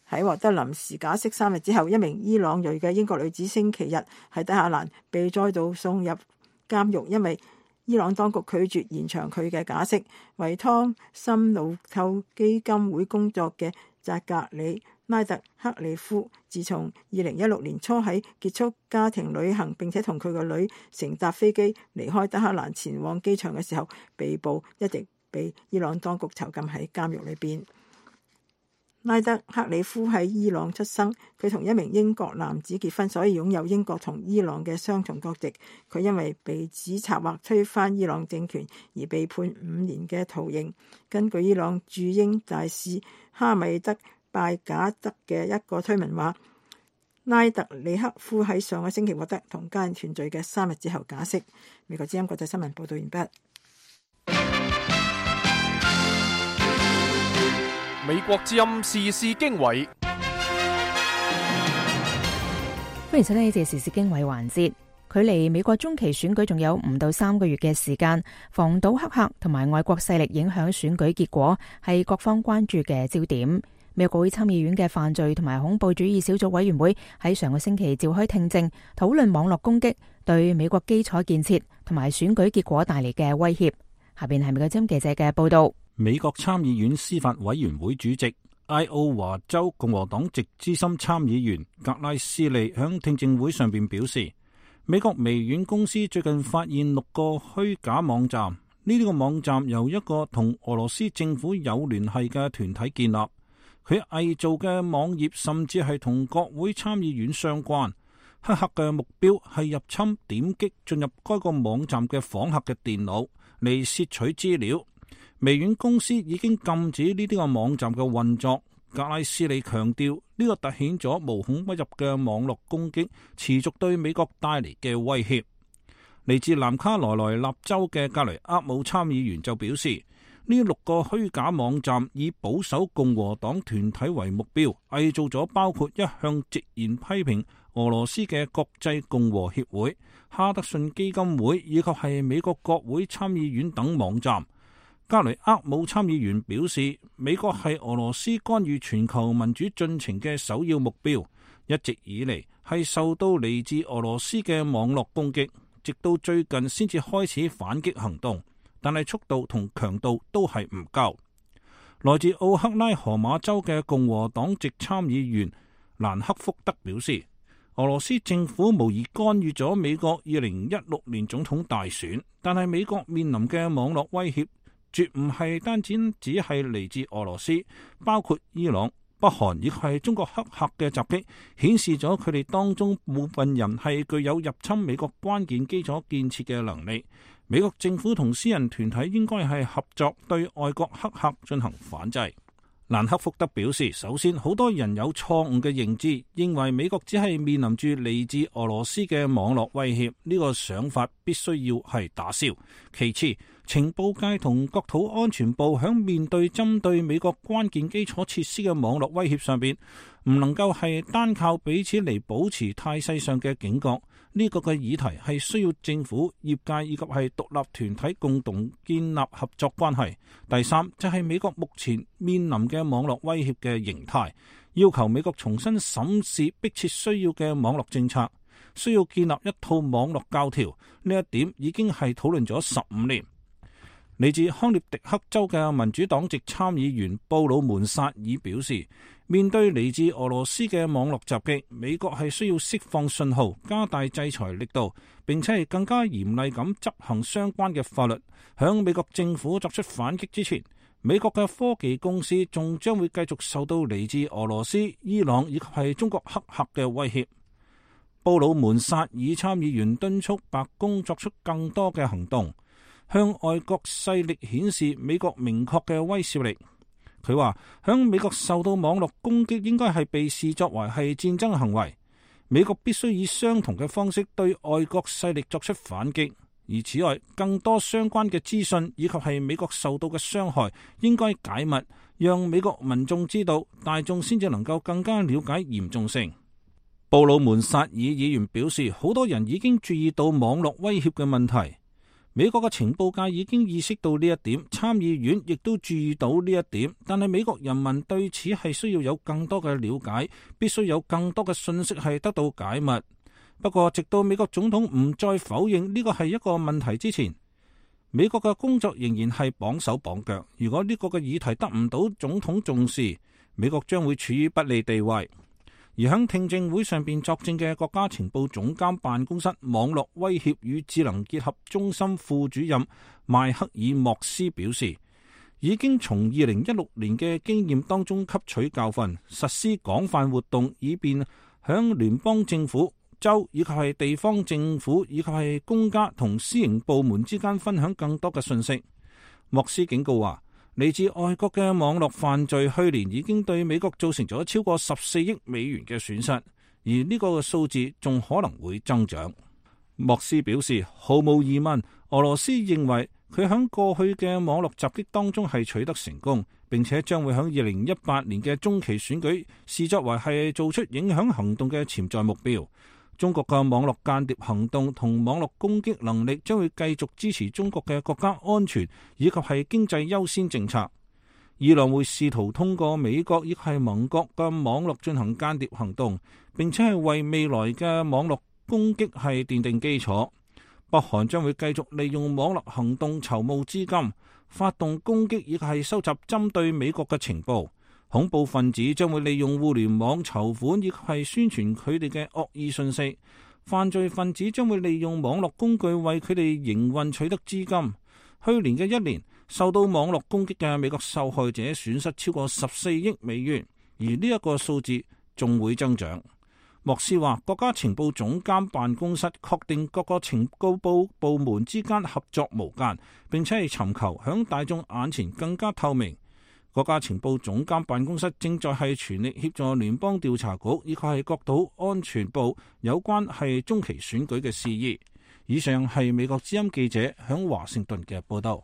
S4: 喺獲得臨時假釋3日之後，一名伊朗裔嘅英國女子星期日喺德黑蘭被再度送入監獄，因為伊朗當局拒絕延長佢嘅假釋。為湯森路透基金會工作嘅扎格里拉特克里夫，自從2016年初喺結束家庭旅行並且同佢個女乘搭飛機離開德黑蘭前往機場嘅時候被捕，一直被伊朗當局囚禁喺監獄裏邊。拉德克里夫喺伊朗出生，佢同一名英國男子結婚，所以擁有英國同伊朗嘅雙重國籍。佢因為被指策劃推翻伊朗政權而被判5年嘅徒刑。根據伊朗駐英大使哈米德拜賈德嘅一個推文話，拉特里克夫喺上個星期獲得同家人團聚嘅3日之後假釋。美國之音國際新聞報道完畢。
S1: 美國之音時事經緯，
S2: 歡迎收聽呢節時事經緯環節。距離美國中期選舉仲有5到3個月嘅時間，防堵黑客同埋外國勢力影響選舉結果係各方關注嘅焦點。美國國會參議院嘅犯罪同埋恐怖主義小組委員會喺上個星期召開聽證，討論網絡攻擊對美國基礎建設同埋選舉結果帶嚟嘅威脅。下邊係美國之音記者嘅報道。
S7: 美國參議院司法委員會主席愛奧華州共和黨籍資深參議員格拉斯利響聽證會上邊表示，美國微軟公司最近發現6個虛假網站，呢啲個網站由一個同俄羅斯政府有聯繫嘅團體建立，佢偽造嘅網頁甚至係同國會參議院相關。黑客嘅目標係入侵點擊進入該個網站嘅訪客嘅電腦嚟竊取資料。微軟公司已經禁止呢啲個網站嘅運作。格拉斯利強調，呢個凸顯咗無孔不入嘅網絡攻擊持續對美國帶嚟嘅威脅。嚟自南卡羅來納州嘅格雷厄姆參議員就表示，呢6個虛假網站以保守共和黨團體為目標，偽造咗包括一向直言批評俄羅斯嘅國際共和協會、哈德遜基金會以及係美國國會參議院等網站。格雷厄姆參議員表示，美國係俄羅斯干預全球民主進程嘅首要目標，一直以嚟係受到嚟自俄羅斯嘅網絡攻擊，直到最近先至開始反擊行動，但係速度同強度都係唔夠。來自奧克拉荷馬州嘅共和黨籍參議員蘭克福德表示，俄羅斯政府無疑干預咗美國2016年總統大選，但係美國面臨嘅網絡威脅絕唔係單只係嚟自俄羅斯，包括伊朗、北韓亦係中國黑客嘅襲擊，顯示咗佢哋當中部分人係具有入侵美國關鍵基礎建設嘅能力。美國政府同私人團體應該係合作對外國黑客進行反制。蘭克福德表示，首先好多人有錯誤嘅認知，認為美國只係面臨住嚟自俄羅斯嘅網絡威脅，呢個想法必須要係打消。其次，情報界同國土安全部響面對針對美國關鍵基礎設施嘅網絡威脅上邊，唔能夠係單靠彼此嚟保持態勢上嘅警覺。呢個嘅議題係需要政府、業界以及係獨立團體共同建立合作關係。第三就係美國目前面臨嘅網絡威脅嘅形態，要求美國重新審視迫切需要嘅網絡政策，需要建立一套網絡教條。呢一點已經係討論咗15年。嚟自康涅狄克州嘅民主黨籍參議員布魯門薩爾表示，面對嚟自俄羅斯嘅網絡襲擊，美國係需要釋放信號，加大制裁力度，並且係更加嚴厲咁執行相關嘅法律。響美國政府作出反擊之前，美國嘅科技公司仲將會繼續受到嚟自俄羅斯、伊朗以及係中國黑客嘅威脅。布魯門薩爾參議員敦促白宮作出更多嘅行動，向外國勢力顯示美國明確嘅威懾力。佢話，響美國受到網絡攻擊應該係被視作為係戰爭行為，美國必須以相同嘅方式對外國勢力作出反擊。而此外，更多相關嘅資訊以及係美國受到嘅傷害應該解密，讓美國民眾知道，大眾先至能夠更加了解嚴重性。布魯門薩爾議員表示，好多人已經注意到網絡威脅嘅問題。美國嘅情報界已經意識到呢一點，參議院亦都注意到呢一點，但係美國人民對此係需要有更多嘅了解，必須有更多嘅信息係得到解密。不過，直到美國總統唔再否認呢個係一個問題之前，美國嘅工作仍然係綁手綁腳。如果呢個嘅議題得唔到總統重視，美國將會處於不利地位。而喺聽證會上邊作證嘅國家情報總監辦公室網絡威脅與智能結合中心副主任邁克爾莫斯表示，已經從2016年嘅經驗當中吸取教訓，實施廣泛活動，以便響聯邦政府、州以及係地方政府以及係公家同私營部門之間分享更多嘅信息。莫斯警告話，嚟自外國嘅網絡犯罪去年已經對美國造成咗超過14億美元嘅損失，而呢個數字仲可能會增長。莫斯表示，毫無疑問，俄羅斯認為佢喺過去嘅網絡襲擊當中係取得成功，並且將會喺2018年嘅中期選舉視作為係做出影響行動嘅潛在目標。中國嘅網絡間諜行動同網絡攻擊能力將會繼續支持中國嘅國家安全以及係經濟優先政策。伊朗會試圖通過美國亦係盟國嘅網絡進行間諜行動，並且係為未來嘅網絡攻擊係奠定基礎。北韓將會繼續利用網絡行動籌募資金，發動攻擊亦係收集針對美國嘅情報。恐怖分子將會利用互聯網籌款，亦係宣傳佢哋嘅惡意信息。犯罪分子將會利用網絡工具為佢哋營運取得資金。去年嘅一年，受到網絡攻擊嘅美國受害者損失超過14億美元，而呢一個數字仲會增長。莫斯話，國家情報總監辦公室確定各個情報部門之間合作無間，並且係尋求響大眾眼前更加透明。國家情報總監辦公室正在係全力協助聯邦調查局以及係國土安全部有關係中期選舉嘅事宜。以上係美國之音記者響華盛頓嘅報道。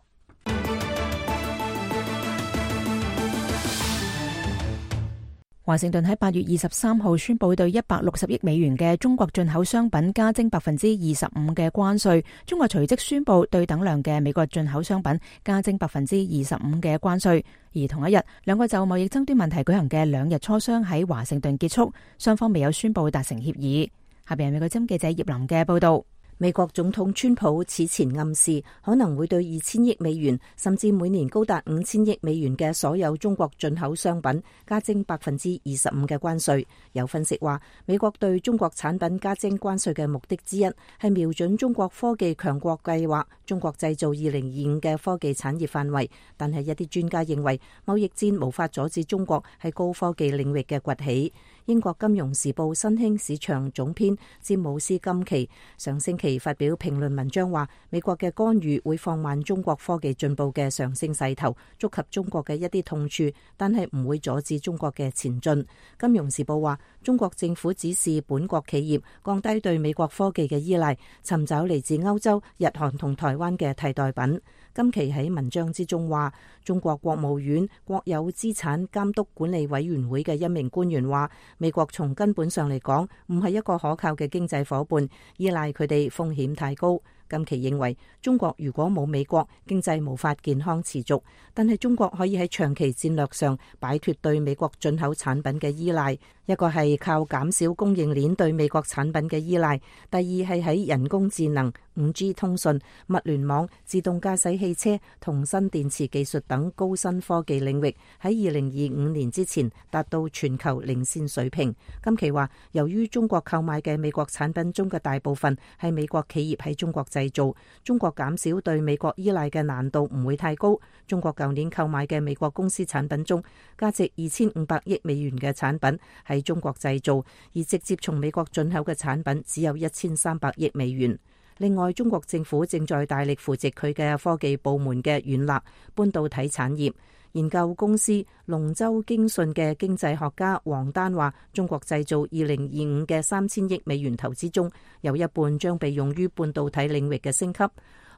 S2: 華盛頓喺8月23號宣布對160億美元嘅中國進口商品加徵25%嘅關稅。中國隨即宣布對等量嘅美國進口商品加徵25%嘅關稅。而同一日，兩個就貿易爭端問題舉行嘅2日磋商喺華盛頓結束，雙方未有宣布達成協議。下邊係美國之音記者葉琳嘅報道。
S6: 美國總統川普此前暗示可能會對2000億美元甚至每年高達5000億美元嘅所有中國進口商品加徵25%嘅關稅。有分析話，美國對中國產品加徵關稅嘅目的之一係瞄準中國科技強國計劃中國製造2025嘅科技產業範圍，但係一啲專家認為貿易戰無法阻止中國喺高科技領域嘅崛起。英國金融時報新興市場總編詹姆斯金奇上星期發表評論文章話，美國嘅干預會放慢中國科技進步嘅上升勢頭，觸及中國嘅一啲痛處，但係唔會阻止中國嘅前進。金融時報話，中國政府指示本國企業降低對美國科技嘅依賴，尋找嚟自歐洲、日韓同台灣嘅替代品。金奇喺文章之中話，中國國務院國有資產監督管理委員會嘅一名官員話，美國從根本上嚟講唔係一個可靠嘅經濟夥伴，依賴佢哋風險太高。金奇認為，中國如果冇美國，經濟無法健康持續，但係中國可以喺長期戰略上擺脫對美國進口產品嘅依賴。一個係靠減少供應鏈對美國產品嘅依賴，第二係喺人工智能、5G 通訊、物聯網、自動駕駛汽車同新電池技術等高新科技領域喺2025年之前達到全球領先水平。金奇話，由於中國購買嘅美國產品中嘅大部分係美國企業喺中國製造，中國減少對美國依賴嘅難度唔會太高。中國舊年購買嘅美國公司產品中，價值2500億美元嘅產品喺中國製造，而直接從美國進口嘅產品只有1300億美元。另外，中國政府正在大力扶植佢嘅科技部門嘅軟肋半導體產業。研究公司龍舟經訊嘅經濟學家王丹話，中國製造2025嘅3000億美元投資中，有一半將被用於半導體領域嘅升級。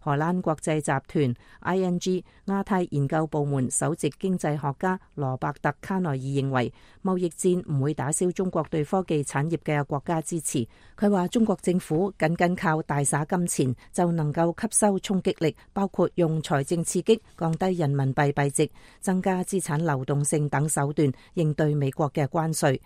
S6: 荷蘭國際集團 ING 亞太研究部門首席經濟學家羅伯特卡內爾認為，貿易戰唔會打消中國對科技產業嘅國家支持。佢話，中國政府僅靠大灑金錢就能夠吸收衝擊力，包括用財政刺激、降低人民幣幣值、增加資產流動性等手段應對美國嘅關稅。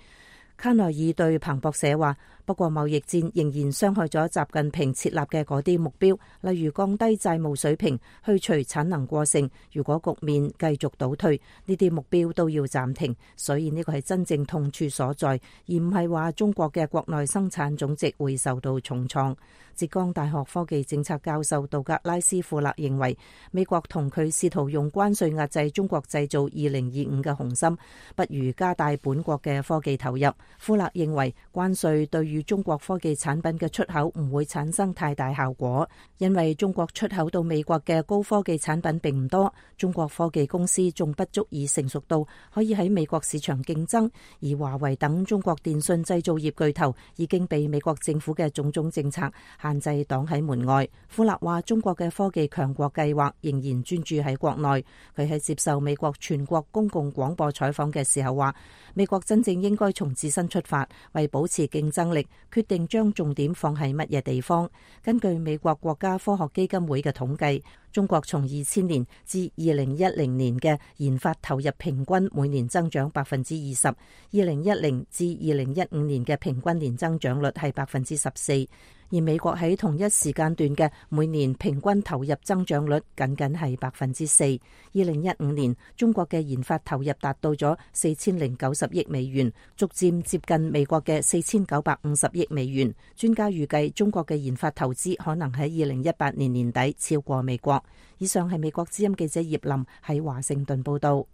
S6: 卡內爾對彭博社話，不過貿易戰仍然傷害咗習近平設立嘅嗰啲目標，例如降低債務水平、去除產能過剩。如果局面繼續倒退，呢啲目標都要暫停。所以呢個係真正痛處所在，而唔係話中國嘅國內生產總值會受到重創。浙江大學科技政策教授道格拉斯庫勒認為，美國同佢試圖用關稅壓制中國製造2025嘅雄心，不如加大本國嘅科技投入。庫勒認為，關稅對於中國科技產品嘅出口唔會產生太大效果，因為中國出口到美國嘅高科技產品並唔多，中國科技公司仲不足以成熟到可以喺美國市場競爭，而華為等中國電信製造業巨頭已經被美國政府嘅種種政策限制擋喺門外。庫勒話，中國嘅科技強國計劃仍然專注喺國內。佢喺接受美國全國公共廣播採訪嘅時候話，美國真正應該從自身出發，為保持競爭力，決定將重點放喺乜嘢地方。根據美國國家科學基金會嘅統計，中國從2000年至2010年嘅研發投入平均每年增長20%，2010至2015年嘅平均年增長率係14%，而美國喺同一時間段嘅每年平均投入增長率僅僅係4%。2015年，中國嘅研發投入達到咗4090億美元，逐漸接近美國嘅4950億美元。專家預計中國嘅研發投資可能喺2018年年底超過美國。以上係美國之音記者葉林喺華盛頓報道。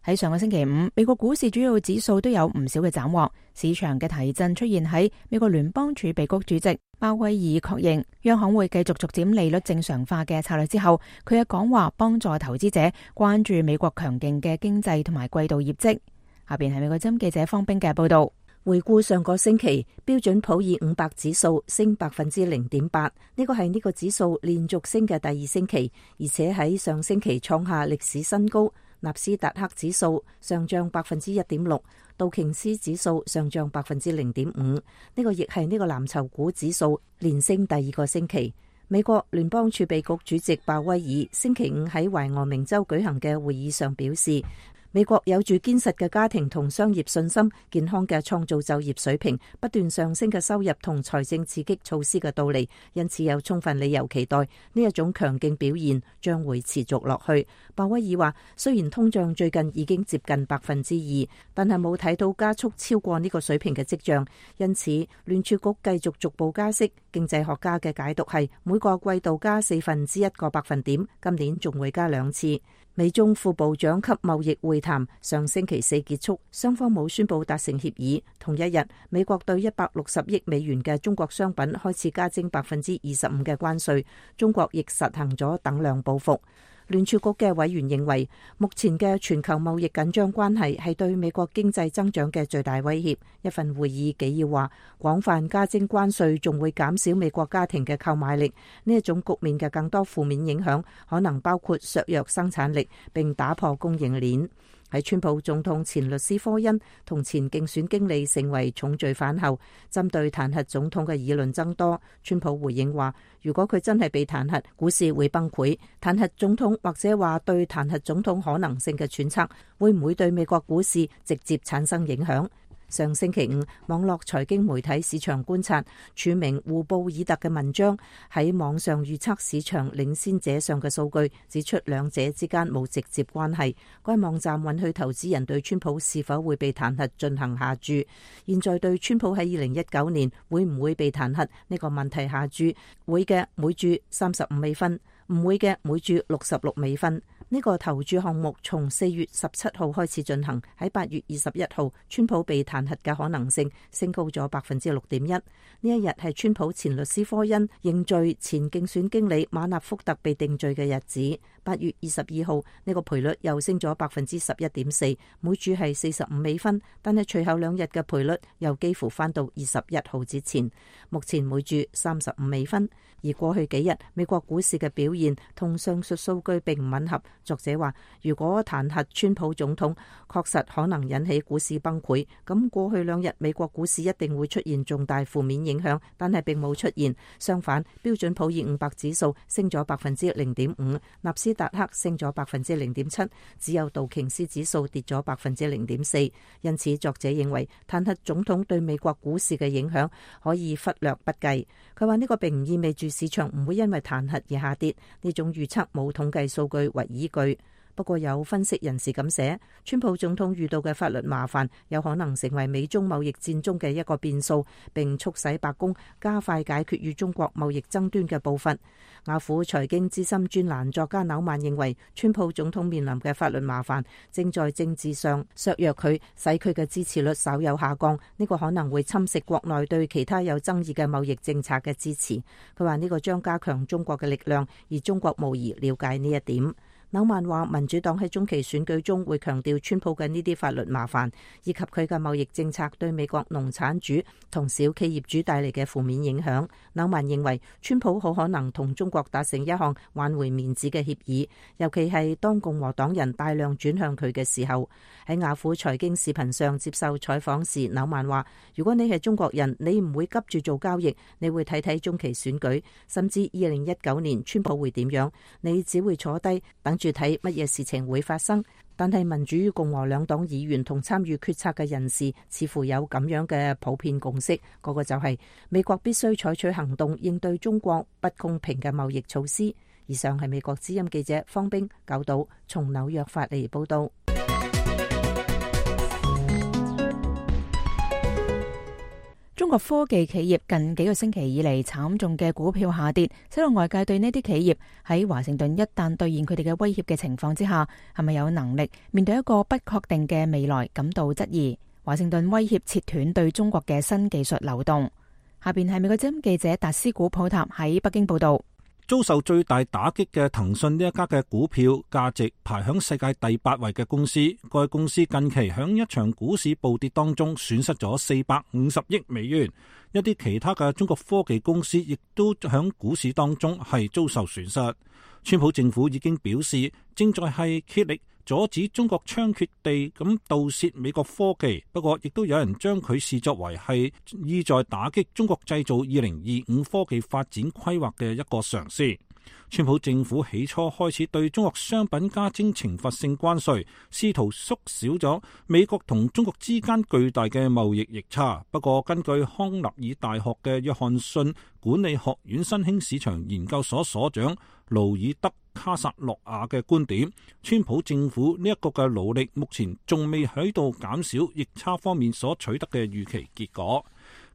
S2: 喺上個星期五，美國股市主要指數都有唔少嘅斬獲，市場嘅提振出現喺美國聯邦儲備局主席鮑威爾確認央行會繼續逐漸利率正常化嘅策略之後，佢嘅講話幫助投資者關注美國強勁嘅經濟同埋季度業績。下邊係美國之音記者方冰嘅報道。
S6: 回顧上個星期，標準普爾500指數升0.8%，呢個係呢個指數連續升嘅第二星期，而且喺上星期創下歷史新高。納斯達克指數上漲1.6%，道瓊斯指數上漲0.5%，呢個亦係呢個藍籌股指數連升第二個星期。美國聯邦儲備局主席鮑威爾星期五喺懷俄明州舉行嘅會議上表示，美國有住堅實嘅家庭同商業信心、健康嘅創造就業水平、不斷上升嘅收入同財政刺激措施嘅到嚟，因此有充分理由期待呢一種強勁表現將會持續落去。鮑威爾話，雖然通脹最近已經接近2%，但係冇睇到加速超過呢個水平嘅跡象，因此聯儲局繼續逐步加息。經濟學家嘅解讀係每個季度加1/4個百分點，今年仲會加2次。美中副部長級貿易會談上星期四結束，雙方冇宣布達成協議。同一日，美國對160億美元嘅中國商品開始加徵25%嘅關稅，中國亦實行咗等量報復。聯儲局嘅委員認為，目前嘅全球貿易緊張關係係對美國經濟增長嘅最大威脅。一份會議紀要話，廣泛加徵關稅仲會減少美國家庭嘅購買力。呢一種局面嘅更多負面影響可能包括削弱生產力並打破供應鏈。喺川普總統前律師科恩同前競選經理成為重罪犯後，針對彈劾總統嘅議論增多。川普回應話，如果佢真係被彈劾，股市會崩潰。彈劾總統或者話對彈劾總統可能性嘅揣測，會唔會對美國股市直接產生影響？上星期五，網絡財經媒體市場觀察署名胡布爾特嘅文章喺網上預測市場領先者上嘅數據，指出兩者之間冇直接關係。該網站允許投資人對川普是否會被彈劾進行下注。現在對川普喺2019年會唔會被彈劾呢個問題下注，會嘅每注35美分，唔會嘅每注66美分。呢個投注項目從4月17號開始進行，喺8月21號，川普被彈劾嘅可能性升高咗6.1%。呢一日係川普前律師科恩認罪前競選經理馬納福特被定罪嘅日子。8月22號，呢個賠率又升咗11.4%，每注係45美分，但係隨後2日嘅賠率又幾乎翻到21號之前，目前每注35美分。而過去幾日美國股市嘅表現同上述數據並唔吻合，作者話，如果彈劾川普總統確實可能引起股市崩潰，咁過去2日美國股市一定會出現重大負面影響，但係並冇出現。相反，標準普爾500指數升咗 0.5%， 納斯達克升咗 0.7%， 只有道瓊斯指數跌咗 0.4%。因此，作者認為彈劾總統對美國股市嘅影響可以忽略不計。佢話呢個並唔意味住市場唔會因為彈劾而下跌，呢種預測冇統計數據為依據。不過有分析人士咁寫，川普總統遇到嘅法律麻煩有可能成為美中貿易戰中嘅一個變數，並促使白宮加快解決與中國貿易爭端嘅步伐。雅虎財經資深專欄作家紐曼認為，川普總統面臨嘅法律麻煩正在政治上削弱佢，使佢嘅支持率稍有下降。呢個可能會侵蝕國內對其他有爭議嘅貿易政策嘅支持。佢話呢個將加強中國嘅力量，而中國無疑了解呢一點。紐曼話，民主黨喺中期選舉中會強調川普嘅呢啲法律麻煩，以及佢嘅貿易政策對美國農產主同小企業主帶嚟嘅負面影響。紐曼認為，川普好可能同中國達成一項挽回面子嘅協議，尤其係當共和黨人大量轉向佢嘅時候。喺雅虎財經視頻上接受採訪時，紐曼話，如果你係中國人，你唔會急住做交易，你會睇睇中期選舉，甚至2019年川普會點樣，你只會坐低等住睇乜嘢事情會發生。但係民主與共和兩黨議員同參與決策嘅人士似乎有咁樣嘅普遍共識，嗰個就係美國必須採取行動應對中國不公平嘅貿易措施。以上係美國之音記者方冰九島從紐約發嚟報道。
S2: 中國科技企業近幾個星期以嚟慘重嘅股票下跌，使到外界對呢啲企業喺華盛頓一旦兌現佢哋嘅威脅嘅情況之下，係咪有能力面對一個不確定嘅未來感到質疑。華盛頓威脅切斷對中國嘅新技術流動。下邊係美國之音記者達斯古普塔喺北京報道。
S7: 遭受最大打擊嘅騰訊呢一家嘅股票價值排響世界第8位嘅公司，該公司近期響一場股市暴跌當中損失咗450億美元。一啲其他嘅中國科技公司亦都響股市當中係遭受損失。川普政府已經表示，正在係竭力阻止中國猖獗地咁盜竊美國科技，不過亦都有人將佢視作為係意在打擊中國製造2025科技發展規劃嘅一個嘗試。川普政府起初開始對中國商品加徵懲罰性關稅，試圖縮小咗美國同中國之間巨大嘅貿易逆差。不過根據康納爾大學嘅約翰遜管理學院新興市場研究所所長勞爾德卡薩洛亞嘅觀點，川普政府呢一個嘅努力目前仲未喺度減少逆差方面所取得嘅預期結果。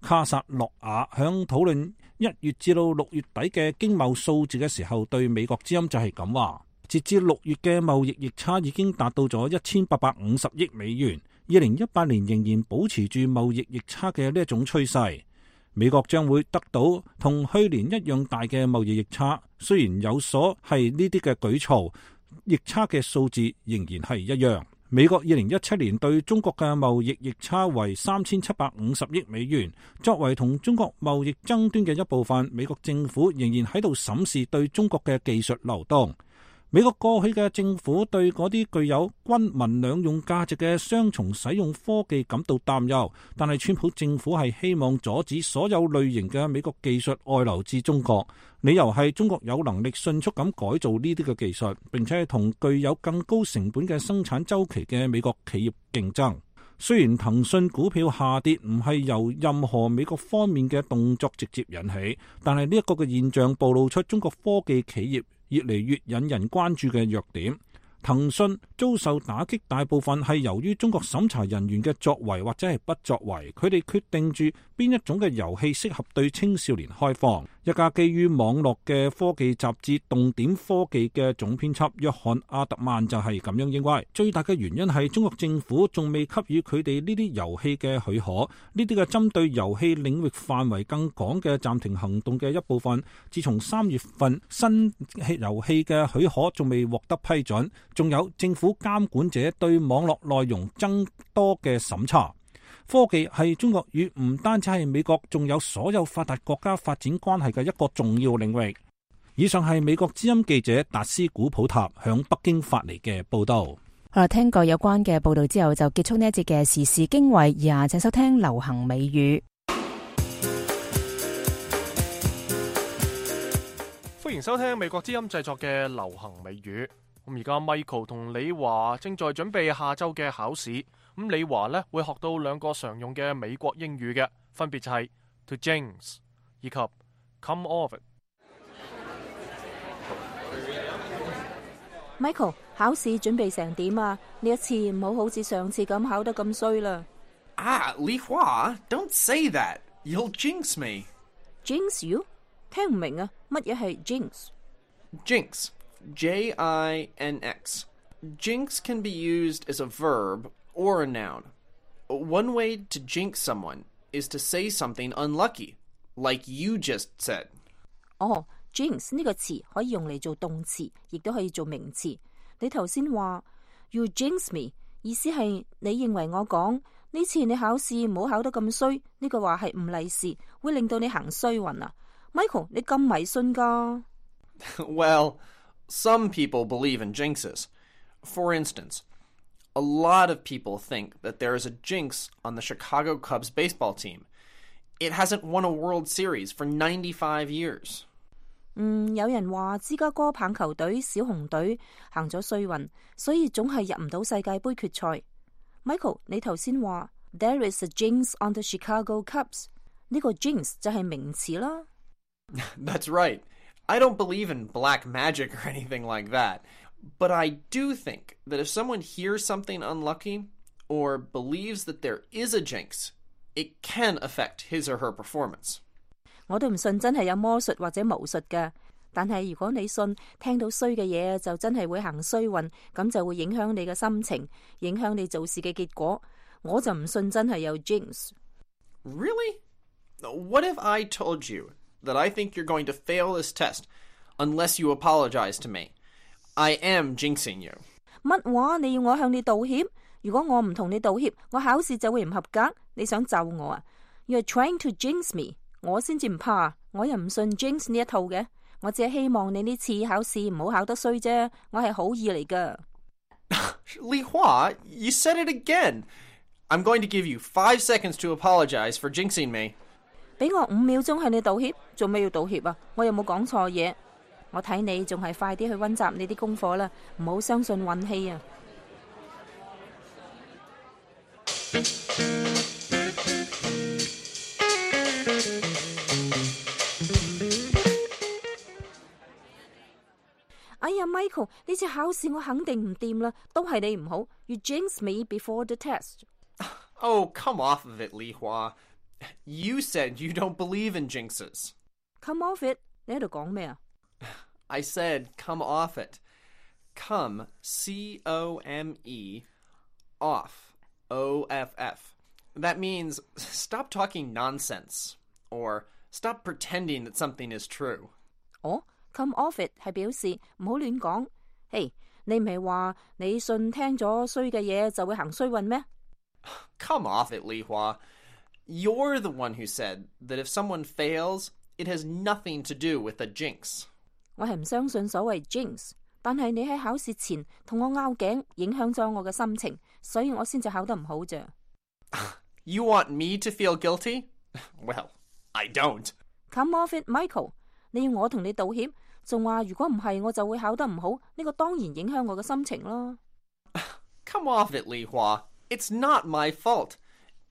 S7: 卡薩洛亞響討論1月至到6月底嘅經貿數字嘅時候，對美國之音就係咁話，截至6月嘅貿易逆差已經達到咗1850億美元，2018年仍然保持住貿易逆差嘅呢一種趨勢。美國將會得到同去年一樣大嘅貿易逆差，雖然有所係呢啲嘅舉措，逆差嘅數字仍然係一樣。美國2017年對中國嘅貿易逆差為3750億美元，作為同中國貿易爭端嘅一部分，美國政府仍然喺度審視對中國嘅技術流動。美國過去嘅政府對嗰啲具有軍民兩用價值嘅雙重使用科技感到擔憂，但係川普政府係希望阻止所有類型嘅美國技術外流至中國，理由係中國有能力迅速咁改造呢啲嘅技術，並且係同具有更高成本嘅生產週期嘅美國企業競爭。雖然騰訊股票下跌唔係由任何美國方面嘅動作直接引起，但係呢一個嘅現象暴露出中國科技企業越嚟越引人關注嘅弱點。騰訊遭受打擊大部分係由於中國審查人員嘅作為或者係不作為，佢哋決定住邊一種嘅遊戲適合對青少年開放。一家基於網絡嘅科技雜誌動點科技嘅總編輯約翰阿特曼就係咁樣認為，最大嘅原因係中國政府仲未給予佢哋呢啲遊戲嘅許可，呢啲嘅針對遊戲領域範圍更廣嘅暫停行動嘅一部分，自從3月份新遊戲嘅許可仲未獲得批准，仲有政府監管者對網絡內容增多嘅審查。科技係中國與唔單止係美國，仲有所有發達國家發展關係嘅一個重要領域。以上係美國之音記者達斯古普塔向北京發嚟嘅報道。
S2: 好啦，聽過有關嘅報道之後，就結束呢一節嘅時事經緯，以下請收聽流行美語。
S1: 歡迎收聽美國之音製作嘅流行美語。咁而家 Michael 同李華正在準備下週嘅考試。咁李華呢會學到2個常用嘅美國英語嘅，分別就係 to jinx 以及 come off
S6: it。Michael， 考試準備成點啊？呢一次唔好好似上次咁考得咁衰啦。
S8: Li Hua, don't say that. You'll jinx me.
S6: Jinx you？ 聽唔明啊？乜嘢係 jinx？
S8: Jinx, J-I-N-X. Jinx can be used as a verb or a noun. One way to jinx someone is to say something unlucky, like you just said.
S6: 哦，jinx 呢個詞可以用嚟做動詞，亦都可以做名詞。你頭先話 you jinx me， 意思係你認為我講呢次你考試唔好考得咁衰，呢個話係唔利是，會令到你行衰運啊。Michael， 你咁迷信㗎？
S8: Well, some people believe in jinxes. For instance, a lot of people think that there is a jinx on the Chicago Cubs baseball team. It hasn't won a World Series for 95 years.
S6: 有人話芝加哥棒球隊小熊隊行咗衰運，所以總係入唔到世界盃決賽。Michael， 你頭先話 There is a jinx on the Chicago Cubs， 呢個 jinx 就係名詞啦。
S8: That's right. I don't believe in black magic or anything like that. But I do think that if someone hears something unlucky or believes that there is a jinx, it can affect his or her performance.
S6: 我都唔信真係有魔術或者巫術㗎，但係如果你信聽到衰嘅嘢就真係會行衰運，咁就會影響你嘅心情，影響你做事嘅結果。我就唔信真係有 jinx。
S8: Really? What if I told you that I think you're going to fail this test unless you apologize to me? I am jinxing you.
S6: 乜話？你要我向你道歉？如果我唔同你道歉，我考試就會唔合格。你想咒我啊？ You're trying to jinx me。我先至唔怕，我又唔信 jinx 呢一套嘅。我只係希望你呢次考試唔好考得衰啫。我係好意嚟噶。
S8: Li Hua, you said it again. I'm going to give you 5 seconds to apologize for jinxing me.
S6: 俾我5秒鐘向你道歉，做咩要道歉啊？我有冇講錯嘢？我睇你仲係快啲去溫習你啲功課啦，唔好相信運氣啊！哎呀 ，Michael， 呢次考試我肯定唔掂啦，都係你唔好。You jinx me before the test.
S8: Oh, come off of it, Li Hua. You said you don't believe in jinxes.
S6: Come off it. 你喺度講咩啊？
S8: I said come off it. Come, C-O-M-E, off, O-F-F. That means stop talking nonsense, or stop pretending that something is true.
S6: 哦，come off it 係表示唔好亂講。嘿，你唔係話你信聽咗衰嘅嘢就會行衰運咩？
S8: Come off it, Li Hua. You're the one who said that if someone fails, it has nothing to do with a jinx.
S6: 我係唔相信所謂 jinx， 但係你喺考試前同我拗頸，影響咗我嘅心情，所以我先至考得唔好啫。
S8: You want me to feel guilty? Well, I don't.
S6: Come off it, Michael. 你要我同你道歉，仲話如果唔係我就會考得唔好，呢個當然影響我嘅心情咯。
S8: Come off it, Li Hua. It's not my fault.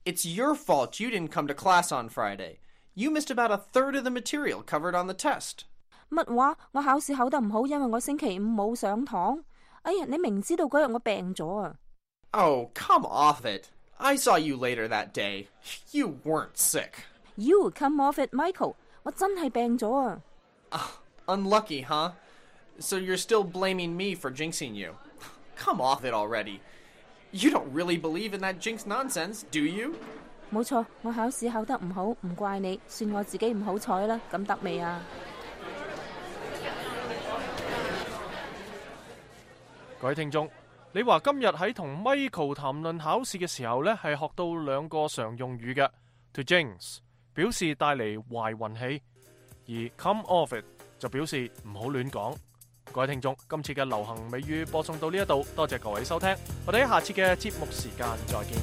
S8: It's your fault you didn't come to class on Friday. You missed about 1/3 of the material covered on the test.
S6: 乜話？我考試考得唔好，因為我星期五冇上堂。哎呀，你明知道嗰日我病咗啊！
S8: Oh, come off it. I saw you later that day. You weren't sick.
S6: You come off it, Michael. 我真係病咗啊！
S8: Unlucky, huh? So you're still blaming me for jinxing you. Come off it already. You don't really believe in that jinx nonsense, do you?
S6: 冇錯，我考試考得唔好，唔怪你，算我自己唔好彩啦。咁得未啊？
S1: 各位聽眾，你話今日喺同 Michael 談論考試嘅時候呢，係學到2個常用語嘅 to jinx 表示帶嚟壞運氣，而 come off it 就表示唔好亂講。各位聽眾，今次嘅流行美語播送到呢一度，多謝各位收聽，我哋喺下次嘅節目時間再見。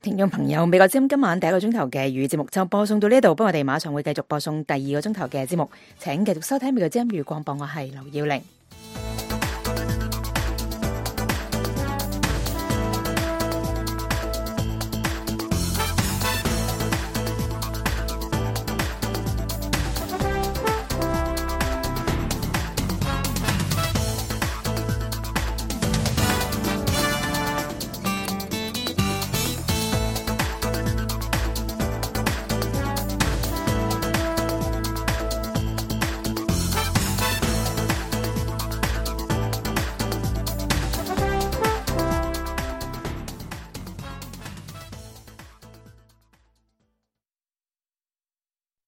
S2: 聽眾朋友，美國之音今晚第一個鐘頭嘅粵語節目就播送到呢度，不過我哋馬上會繼續播送第二個鐘頭嘅節目，請繼續收聽美國之音粵語廣播，我係劉耀玲。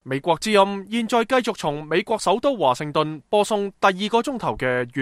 S1: 美國之音現在繼續從美國首都華盛頓播送第二個鐘頭嘅